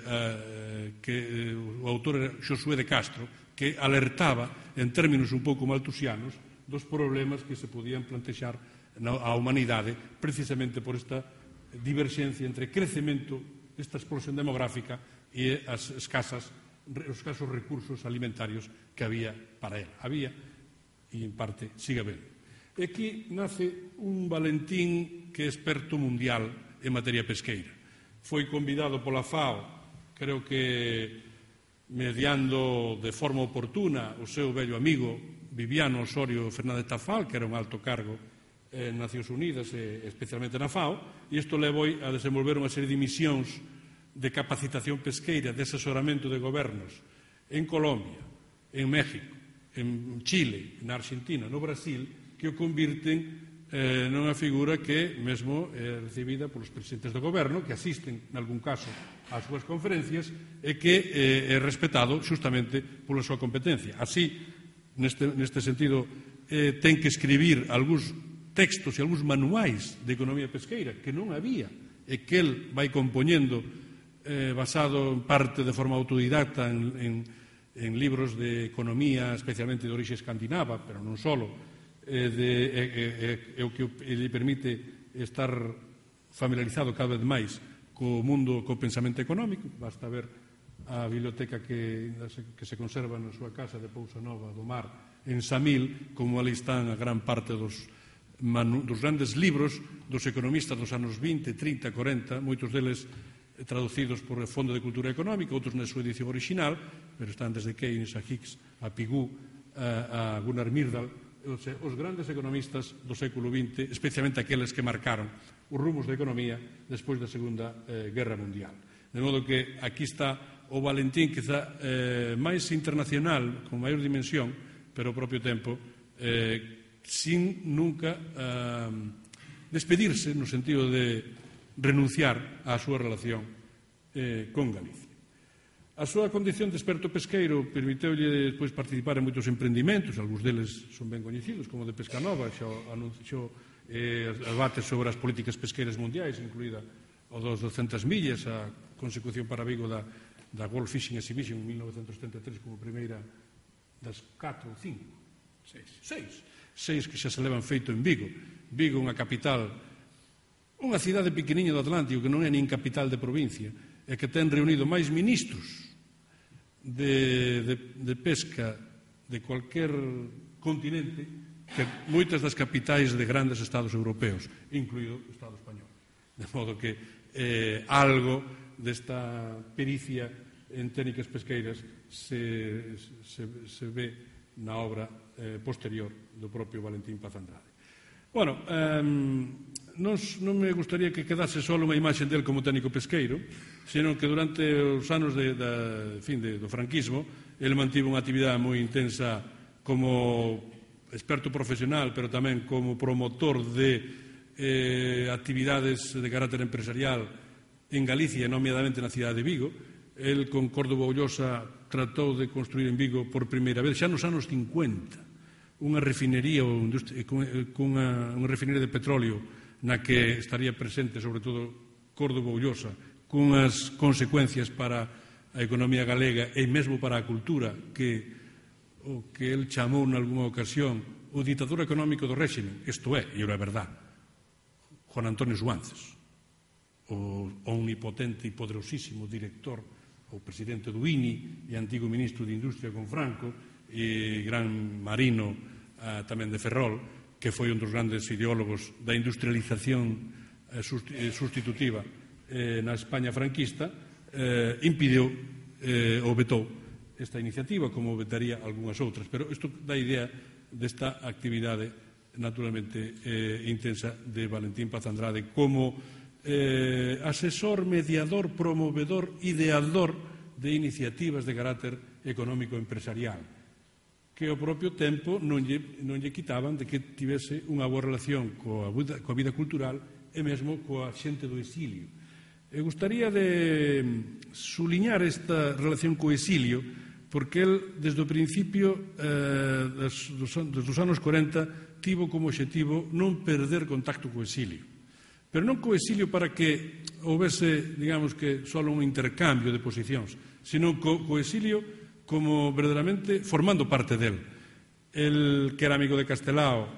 que o autor era Josué de Castro, que alertaba en términos un pouco maltusianos dos problemas que se podían plantexar á humanidade precisamente por esta diverxencia entre crecemento, esta explosión demográfica e os escasos recursos alimentarios que había para ela. Había, e en parte sigue habendo. E aquí nace un Valentín que é experto mundial en materia pesqueira. Foi convidado pola FAO, creo que mediando de forma oportuna o seu vello amigo Viviano Osorio Fernández Tafal, que era un alto cargo en Nacións Unidas, especialmente na FAO, e isto levou a desenvolver unha serie de misións de capacitación pesqueira, de asesoramento de gobernos en Colombia, en México, en Chile, na Argentina, no Brasil, que o convirten nunha figura que mesmo é recibida polos presidentes do goberno, que asisten, en algún caso, ás súas conferencias, e que é respetado justamente pola súa competencia. Así, neste sentido, ten que escribir algúns textos e algúns manuais de economía pesqueira que non había e que el vai compoñendo basado en parte de forma autodidacta en libros de economía, especialmente de orixe escandinava, pero non só, o que lhe permite estar familiarizado cada vez máis co mundo, co pensamento económico. Basta ver a biblioteca que se conserva na súa casa de Pousa Nova do Mar en Samil, como ali están a gran parte dos grandes libros dos economistas dos anos 20, 30, 40, moitos deles traducidos por o Fondo de Cultura Económica, outros na súa edición original, pero están desde Keynes a Hicks, a Pigou, a Gunnar Myrdal, os grandes economistas do século XX, especialmente aqueles que marcaron os rumos da economía despois da Segunda Guerra Mundial. De modo que aquí está o Valentín, quizá máis internacional, con maior dimensión, pero ao propio tempo sin nunca despedirse no sentido de renunciar á súa relación con Galicia. A súa condición de experto pesqueiro permiteulle despois participar en moitos emprendimientos, algúns deles son ben coñecidos, como de Pescanova, xa anunciou debates sobre as políticas pesqueiras mundiais, incluída o dos 200 millas, a consecución para Vigo da World Fishing Exhibition en 1973 como primeira das 4 ou 5, 6 que xa se levan feito en Vigo. Vigo, unha capital, unha cidade pequeniña do Atlántico que non é nin capital de provincia, e que ten reunido máis ministros de pesca de cualquier continente que moitas das capitais de grandes estados europeos, incluído o Estado español. De modo que algo desta pericia en técnicas pesqueiras se ve na obra posterior do propio Valentín Paz Andrade. Bueno, non me gustaría que quedase só unha imaxe del como técnico pesqueiro, senón que durante os anos do franquismo ele mantivo unha actividade moi intensa como experto profesional, pero tamén como promotor de actividades de carácter empresarial en Galicia, nomeadamente na cidade de Vigo. El con Córdoba Ullosa tratou de construir en Vigo por primeira vez, xa nos anos 50, unha refinería unha refinería de petróleo na que estaría presente, sobre todo, Córdoba Ullosa, cunhas consecuencias para a economía galega e mesmo para a cultura que o que el chamou nalgúna ocasión o ditador económico do réxime, isto é, e era verdad, Juan Antonio Suances, o omnipotente e poderosísimo director, o presidente do INI e antigo ministro de Industria con Franco e gran marino tamén de Ferrol, que foi un dos grandes ideólogos da industrialización sustitutiva na España franquista, impediu ou vetou esta iniciativa, como vetaría algunhas outras. Pero isto dá idea desta actividade naturalmente intensa de Valentín Paz Andrade como asesor, mediador, promovedor, ideador de iniciativas de carácter económico empresarial. que ao propio tempo non lle quitaban de que tivese unha boa relación coa vida cultural e mesmo coa xente do exilio. E gustaría de suliñar esta relación co exilio, porque el, desde o principio dos anos 40, tivo como obxectivo non perder contacto co exilio. Pero non co exilio para que houvese, digamos que, só un intercambio de posicións, sino co exilio como verdadeiramente formando parte del. El, que era amigo de Castelao,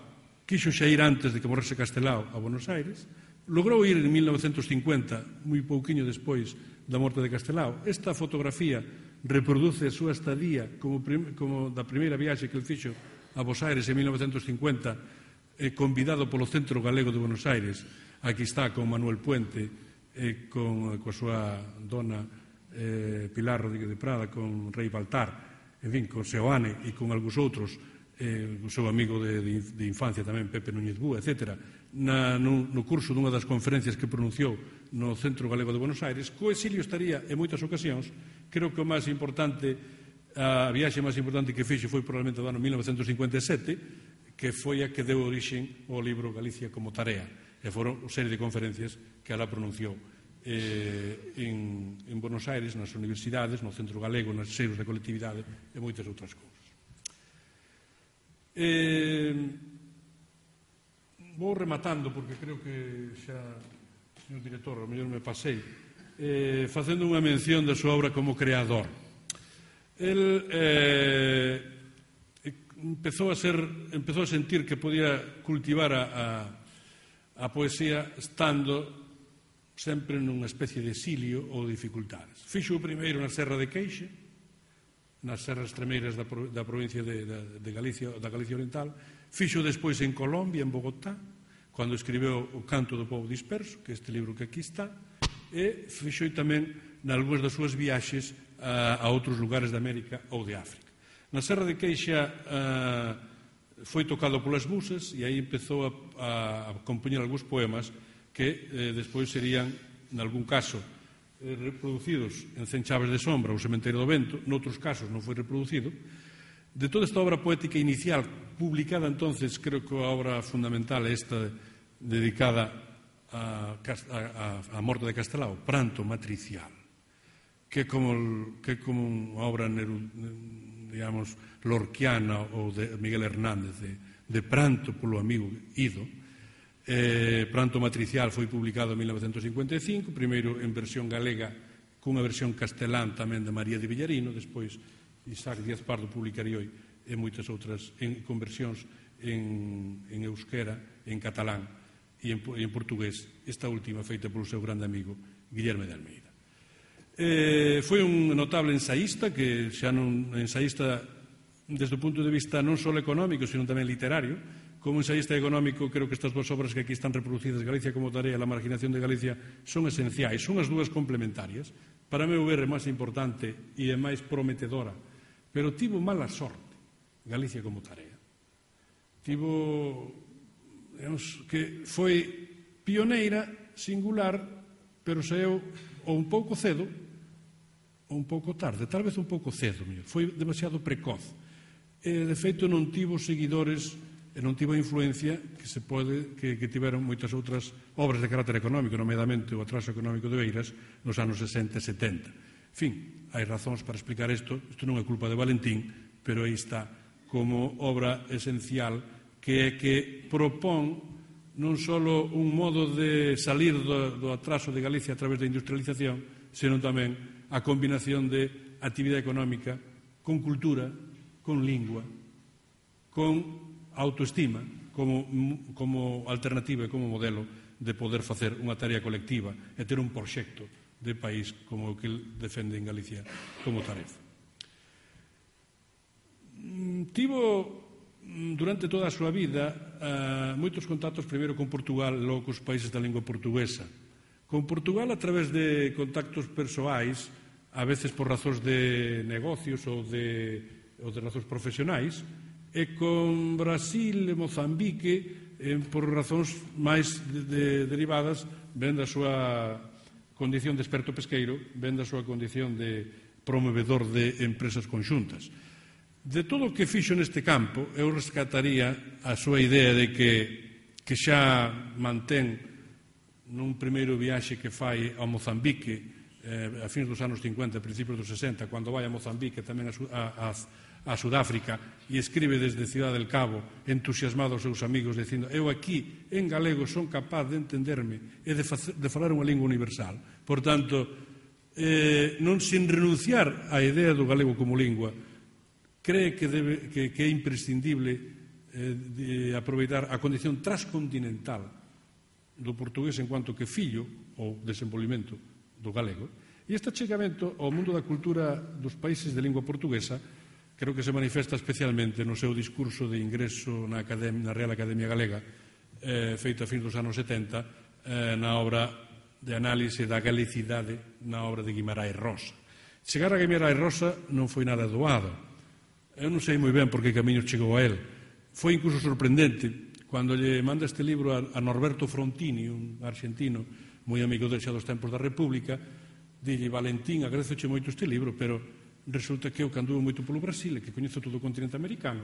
quixo xa ir antes de que morrese Castelao a Buenos Aires, logrou ir en 1950, moi pouquiño despois da morte de Castelao. Esta fotografía reproduce a súa estadía como da primeira viaxe que el fixo a Buenos Aires en 1950, convidado polo Centro Galego de Buenos Aires. Aquí está con Manuel Puente, coa súa dona Pilar Rodríguez de Prada, con Rei Baltar, en fin, con Seoane e con algúns outros, o seu amigo de infancia tamén, Pepe Núñez Búa, etc., no curso dunha das conferencias que pronunciou no Centro Galego de Buenos Aires. Co exilio estaría en moitas ocasións. Creo que o máis importante, a viaxe máis importante que fixo foi probablemente do ano 1957, que foi a que deu orixen ao libro Galicia como tarea, e foron unha serie de conferencias que ela pronunciou en Buenos Aires, nas universidades, no Centro Galego, nas seios da colectividade e moitas outras cousas. Vou rematando, porque creo que xa, señor director, ao mellor me pasei, facendo unha mención da súa obra como creador. El empezou a sentir que podía cultivar a poesía estando sempre nunha especie de exilio ou dificultades. Fixo o primeiro na Serra de Queixe, nas serras extremeiras da provincia de Galicia, da Galicia Oriental. Fixo despois en Colombia, en Bogotá, cando escribeu O canto do pobo disperso, que é este libro que aquí está, e fixo tamén nalgúnas das súas viaxes a outros lugares de América ou de África. Na Serra de Queixa foi tocado polas busas e aí empezou a compoñer algúns poemas que despois serían, nalgún caso, reproducidos en Cen chaves de sombra ou Sementeiro do vento, noutros casos non foi reproducido. De toda esta obra poética inicial, publicada entonces, creo que a obra fundamental é esta dedicada á morte de Castelao, Pranto matricial, que é como unha obra, digamos, lorquiana ou de Miguel Hernández, de pranto polo amigo ido. Pranto matricial foi publicado en 1955, primeiro en versión galega, cunha versión castelán tamén de María de Villarino, despois Isaac Díaz Pardo publicaría e moitas outras con versións en euskera, en catalán e en portugués, esta última feita polo seu grande amigo Guillerme de Almeida. Foi un notable ensaísta, que xa non ensaísta desde o punto de vista non só económico, sino tamén literario. Como ensaísta económico, creo que estas duas obras que aquí están reproducidas, Galicia como tarea e La marginación de Galicia, son esenciais, son as dúas complementarias. Para meu ver é máis importante e é máis prometedora, pero tivo mala sorte Galicia como tarea. Tivo, digamos, que foi pioneira, singular, pero saeu ou un pouco cedo ou un pouco tarde, tal vez un pouco cedo, foi demasiado precoz. De feito, non tivo seguidores e non tivo a influencia que tiveron moitas outras obras de carácter económico, nomeadamente o atraso económico de Beiras nos anos 60 e 70. En fin, hai razóns para explicar isto non é culpa de Valentín, pero aí está como obra esencial que é que propón non só un modo de salir do atraso de Galicia a través da industrialización, senón tamén a combinación de actividade económica con cultura, con lingua, con autoestima como alternativa e como modelo de poder facer unha tarea colectiva e ter un proxecto de país como o que el defende en Galicia como tarefa. Tivo durante toda a súa vida moitos contactos primeiro con Portugal, logo cos países da lingua portuguesa. Con Portugal a través de contactos persoais, a veces por razóns de negocios ou de razóns profesionais, e con Brasil e Mozambique por razóns máis derivadas ben da súa condición de experto pesqueiro, ben da súa condición de promovedor de empresas conxuntas. De todo o que fixo neste campo, eu rescataría a súa idea de que xa mantén nun primeiro viaxe que fai ao Mozambique a fins dos anos 50, principios dos 60, cando vai a Mozambique, tamén a Sudáfrica, e escribe desde Ciudad del Cabo, entusiasmado aos seus amigos, dicindo: eu aquí, en galego, son capaz de entenderme e de falar unha lingua universal. Por tanto, non sin renunciar á idea do galego como lingua, cree que é imprescindible aproveitar a condición transcontinental do portugués en cuanto que fillo ou desenvolvimento do galego. E este achegamento ao mundo da cultura dos países de lingua portuguesa creo que se manifesta especialmente no seu discurso de ingreso na Real Academia Galega, feito a fins dos anos 70, na obra de análise da galicidade, na obra de Guimarães Rosa. Chegar a Guimarães Rosa non foi nada doado. Eu non sei moi ben por que camiño chegou a él. Foi incluso sorprendente cando lle manda este libro a Norberto Frontini, un argentino moi amigo del xa dos tempos da República. Dille: Valentín, agradezoche moito este libro, pero resulta que eu, que anduvo moito polo Brasil e que coñezo todo o continente americano,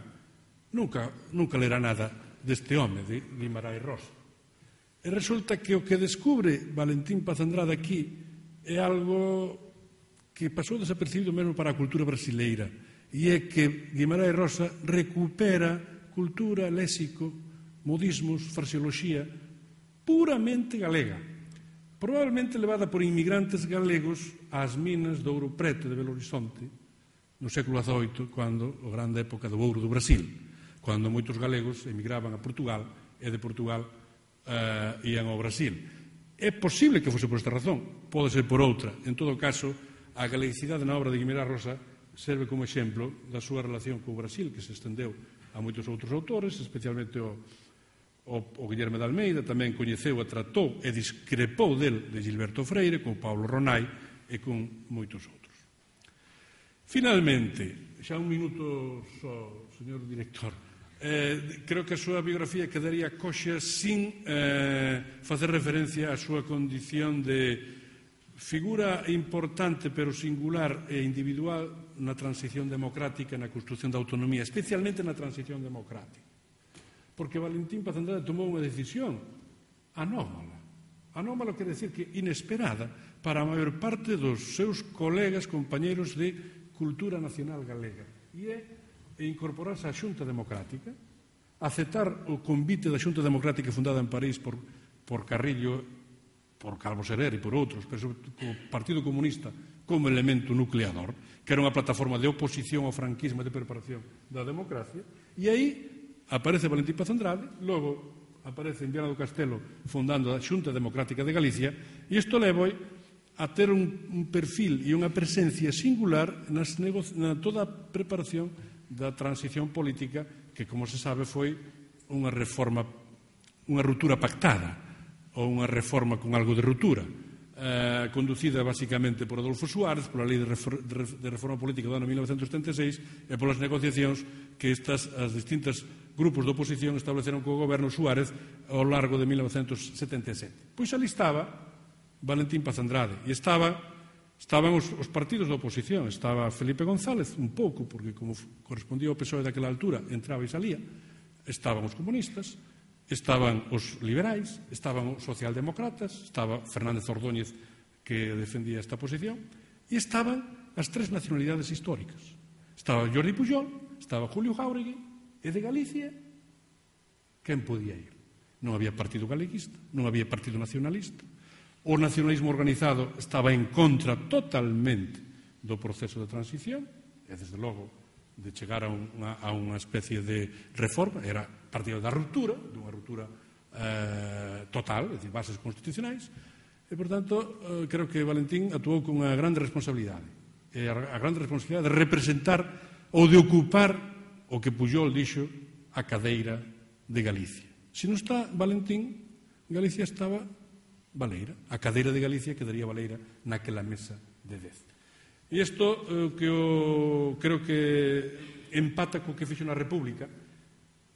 nunca lera nada deste home, de Guimarães Rosa. E resulta que o que descubre Valentín Paz Andrade aquí é algo que pasou desapercibido mesmo para a cultura brasileira, e é que Guimarães Rosa recupera cultura, léxico, modismos, fraseoloxía puramente galega, probablemente levada por inmigrantes galegos ás minas do Ouro Preto de Belo Horizonte no século XVIII, cando a grande época do ouro do Brasil, cando moitos galegos emigraban a Portugal e de Portugal ían ao Brasil. É posible que fose por esta razón, pode ser por outra. En todo caso, a galeguicidade na obra de Guimarães Rosa serve como exemplo da súa relación co Brasil, que se estendeu a moitos outros autores, especialmente o Guillermo de Almeida. Tamén coñeceu e tratou e discrepou del de Gilberto Freire, con Paulo Ronai e con moitos outros. Finalmente, xa un minuto só, señor director, creo que a súa biografía quedaría coxa sin facer referencia á súa condición de figura importante pero singular e individual na transición democrática, na construción da autonomía, especialmente na transición democrática. Porque Valentín Paz Andrade tomou unha decisión anómala. Anómala quere decir que inesperada para a maior parte dos seus colegas, compañeros de cultura nacional galega. E é incorporarse á Xunta Democrática, aceptar o convite da Xunta Democrática fundada en París por Carrillo, por Calvo Serer e por outros, pero sobre o Partido Comunista como elemento nucleador, que era unha plataforma de oposición ao franquismo e de preparación da democracia. E aí aparece Valentín Paz Andrade, logo aparece en Viana do Castelo fundando a Xunta Democrática de Galicia, e isto leva a ter un perfil e unha presencia singular na toda a preparación da transición política, que, como se sabe, foi unha reforma, unha ruptura pactada, ou unha reforma con algo de ruptura, conducida basicamente por Adolfo Suárez, pola Lei de Reforma Política do ano 1976 e polas negociacións que as distintas grupos de oposición estableceron co goberno Suárez ao largo de 1977. Pois ali estaba Valentín Paz Andrade, e estaban os partidos da oposición. Estaba Felipe González, un pouco, porque como correspondía ao PSOE daquela altura, entraba e salía. Estaban os comunistas, estaban os liberais, estaban os socialdemócratas, estaba Fernández Ordóñez, que defendía esta posición, e estaban as tres nacionalidades históricas. Estaba Jordi Pujol, estaba Julio Jáuregui, e de Galicia, quen podía ir? Non había partido galeguista, non había partido nacionalista. O nacionalismo organizado estaba en contra totalmente do proceso de transición, e, desde logo, de chegar a unha especie de reforma. Era partido da ruptura, dunha ruptura total, é dicir, bases constitucionais, e, por tanto, creo que Valentín actuou con unha grande responsabilidade. E a grande responsabilidade de representar ou de ocupar o que Pujol dixo, a cadeira de Galicia. Se non está Valentín, Galicia estaba baleira. A cadeira de Galicia quedaría baleira naquela mesa de 10. E isto que creo que empata co que fixo na República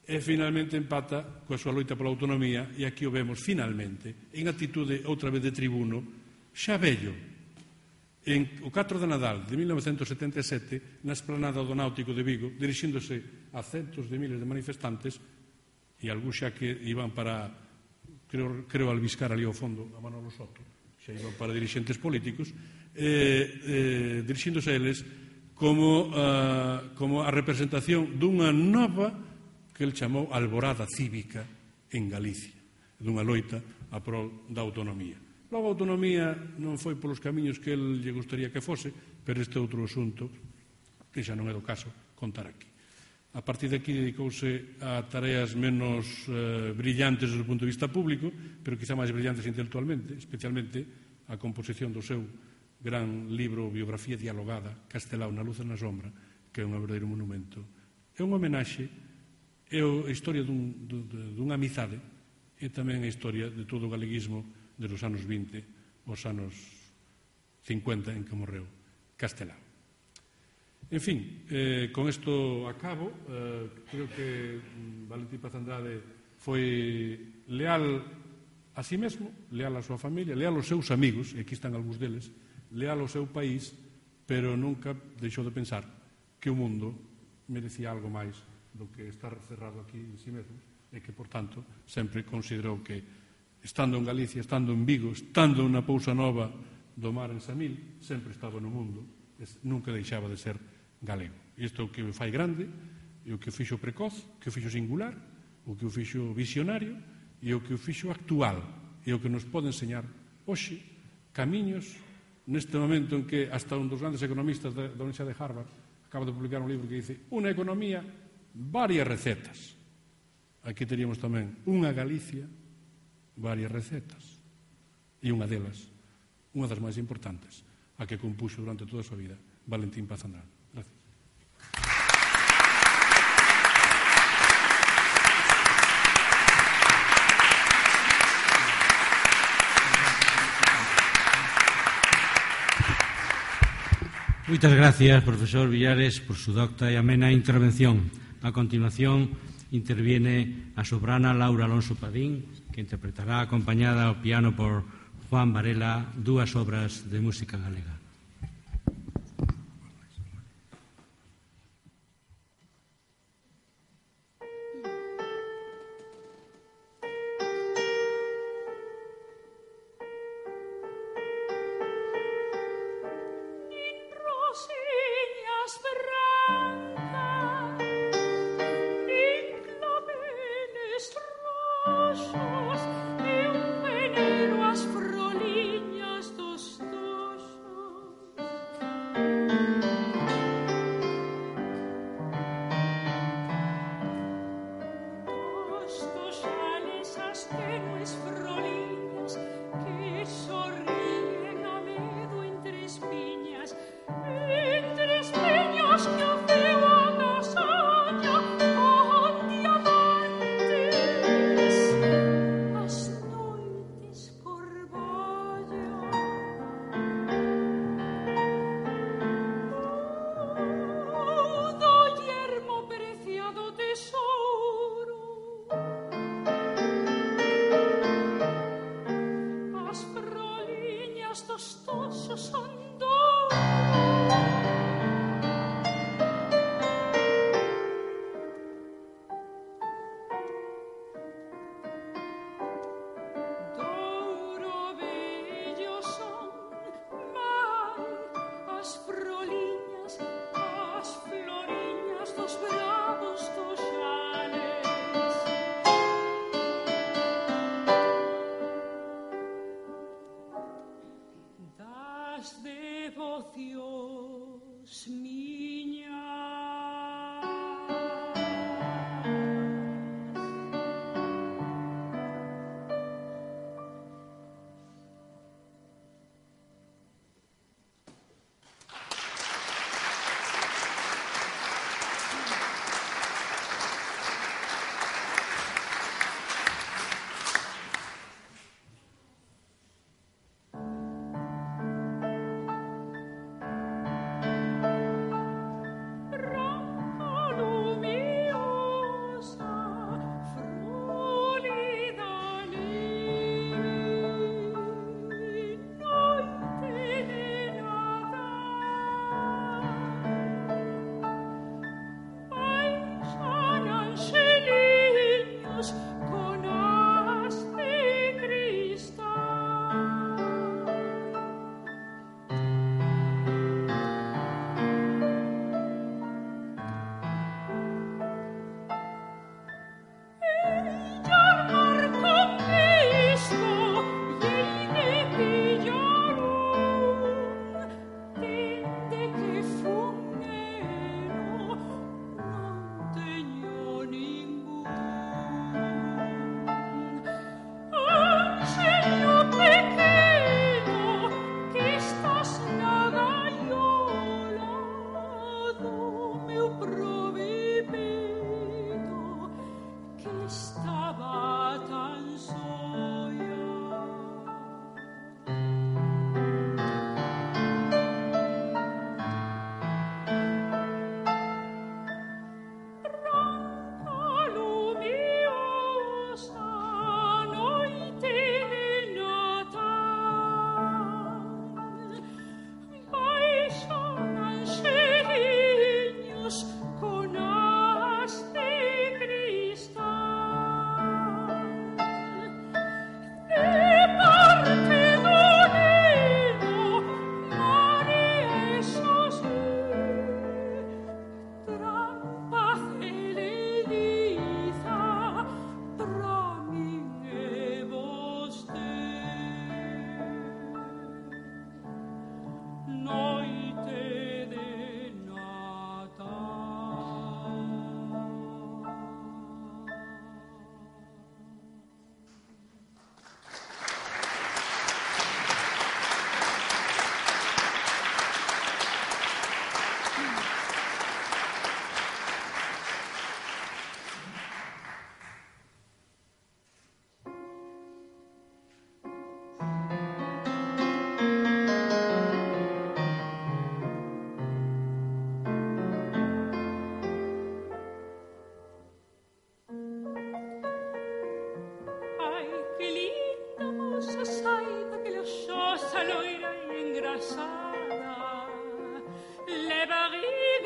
e finalmente empata coa súa loita pola autonomía, e aquí o vemos finalmente en actitude outra vez de tribuno, xa vello, o 4 de Nadal de 1977, na esplanada do Náutico de Vigo, dirixíndose a centos de miles de manifestantes, e algúns xa que iban para, creo albiscar ali ao fondo a Manolo Soto, xa iban para dirixentes políticos, dirixíndose a eles como a representación dunha nova que el chamou alborada cívica en Galicia, dunha loita a prol da autonomía. Logo, a autonomía non foi polos camiños que el lle gustaría que fose, pero este outro asunto que xa non é do caso contar aquí. A partir de aquí dedicouse a tareas menos brillantes desde o punto de vista público, pero quizá máis brillantes intelectualmente, especialmente a composición do seu gran libro Biografía dialogada, Castelao na luz e na sombra, que é un verdadeiro monumento. É un homenaxe, é a historia dunha amizade e tamén a historia de todo o galeguismo desde os anos 20 aos anos 50 en que morreu Castelao. En fin, con isto acabo. Creo que Valentín Paz Andrade foi leal a sí mesmo, leal á súa familia, leal aos seus amigos, e aquí están algúns deles, leal ao seu país, pero nunca deixou de pensar que o mundo merecía algo máis do que estar cerrado aquí en sí mesmo, e que, por tanto, sempre considerou que, estando en Galicia, estando en Vigo, estando na Pousa Nova do mar en Samil, sempre estaba no mundo, nunca deixaba de ser galego. Isto é o que o fai grande, é o que o fixo precoz, que o fixo singular, o que o fixo visionario, e o que o fixo actual, e o que nos pode enseñar hoxe camiños neste momento en que hasta un dos grandes economistas da Universidade de Harvard acaba de publicar un libro que dice unha economía, varias recetas. Aquí teríamos tamén unha Galicia, varias recetas, e unha delas, unha das máis importantes, a que compuxo durante toda a súa vida Valentín Paz Andrade. Gracias. Moitas gracias, profesor Villares, por su docta e amena intervención. A continuación, interviene a soprana Laura Alonso Padín, que interpretará acompañada ao piano por Juan Varela dúas obras de música galega.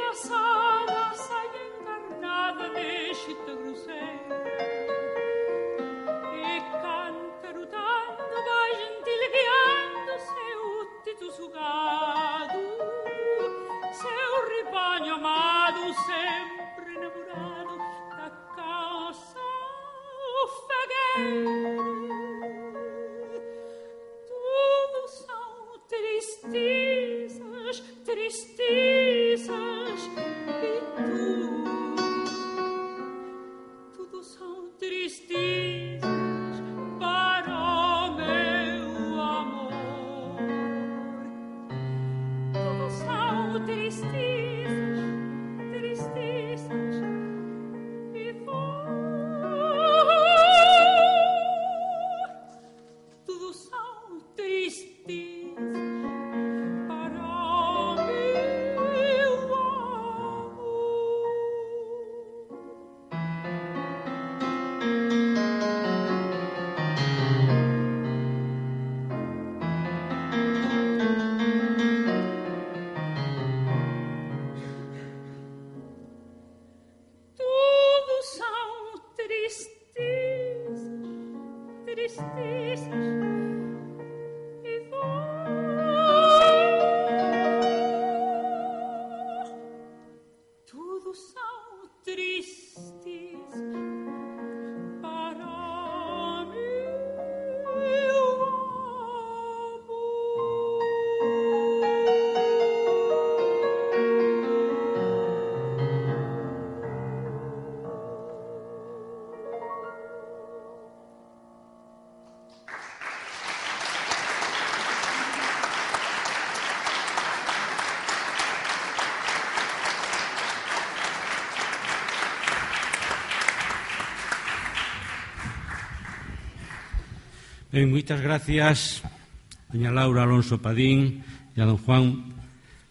engraçada, sai encarnada, deixe-te grosseira e cantarutando vai gentilgueando seu tito sugado, seu ribanho amado, sempre namorado da calça fagueira. Tudo são tristezas, tristezas, e tudo são tristezas para o meu amor. Tudo são tristezas, tristezas, e tudo são tristezas para o meu amor. Tudo são tristezas, tristezas, e tudo são tristezas para o meu amor. Ben, moitas gracias, doña Laura Alonso Padín e a don Juan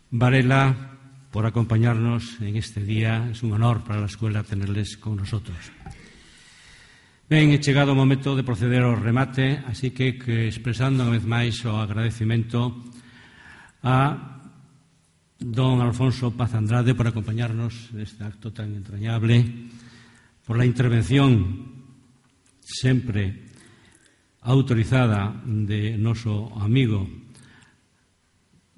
Varela por acompañarnos en este día. Es un honor para la escuela tenerles con nosotros. Ben, he chegado o momento de proceder ao remate, así que expresando unha vez máis o agradecimento a don Alfonso Paz Andrade por acompañarnos neste acto tan entrañable, por la intervención sempre autorizada de noso amigo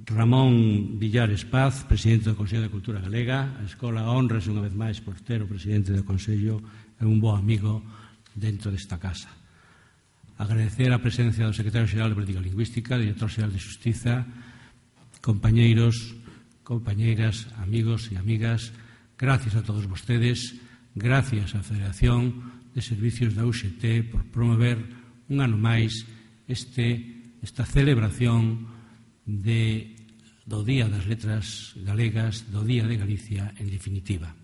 Ramón Villares Paz, presidente do Consello de Cultura Galega. A Escola honrase unha vez máis por ter o presidente do Consello e un bo amigo dentro desta casa. Agradecer a presencia do secretario xeral de Política Lingüística, director xeral de Xustiza, compañeiros, compañeiras, amigos e amigas. Gracias a todos vostedes, gracias á Federación de Servicios da UGT por promover un ano máis esta celebración do Día das Letras Galegas, do Día de Galicia, en definitiva.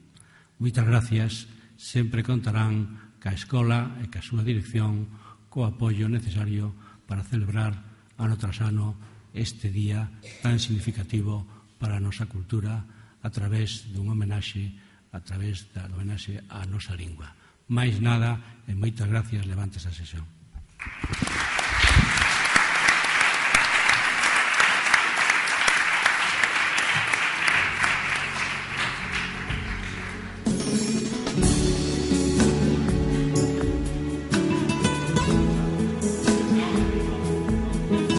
Moitas gracias, sempre contarán ca Escola e ca súa dirección co apoio necesario para celebrar ano tras ano este día tan significativo para a nosa cultura a través dun homenaxe, a través da homenaxe á nosa lingua. Mais nada, e moitas gracias, levantes a sesión.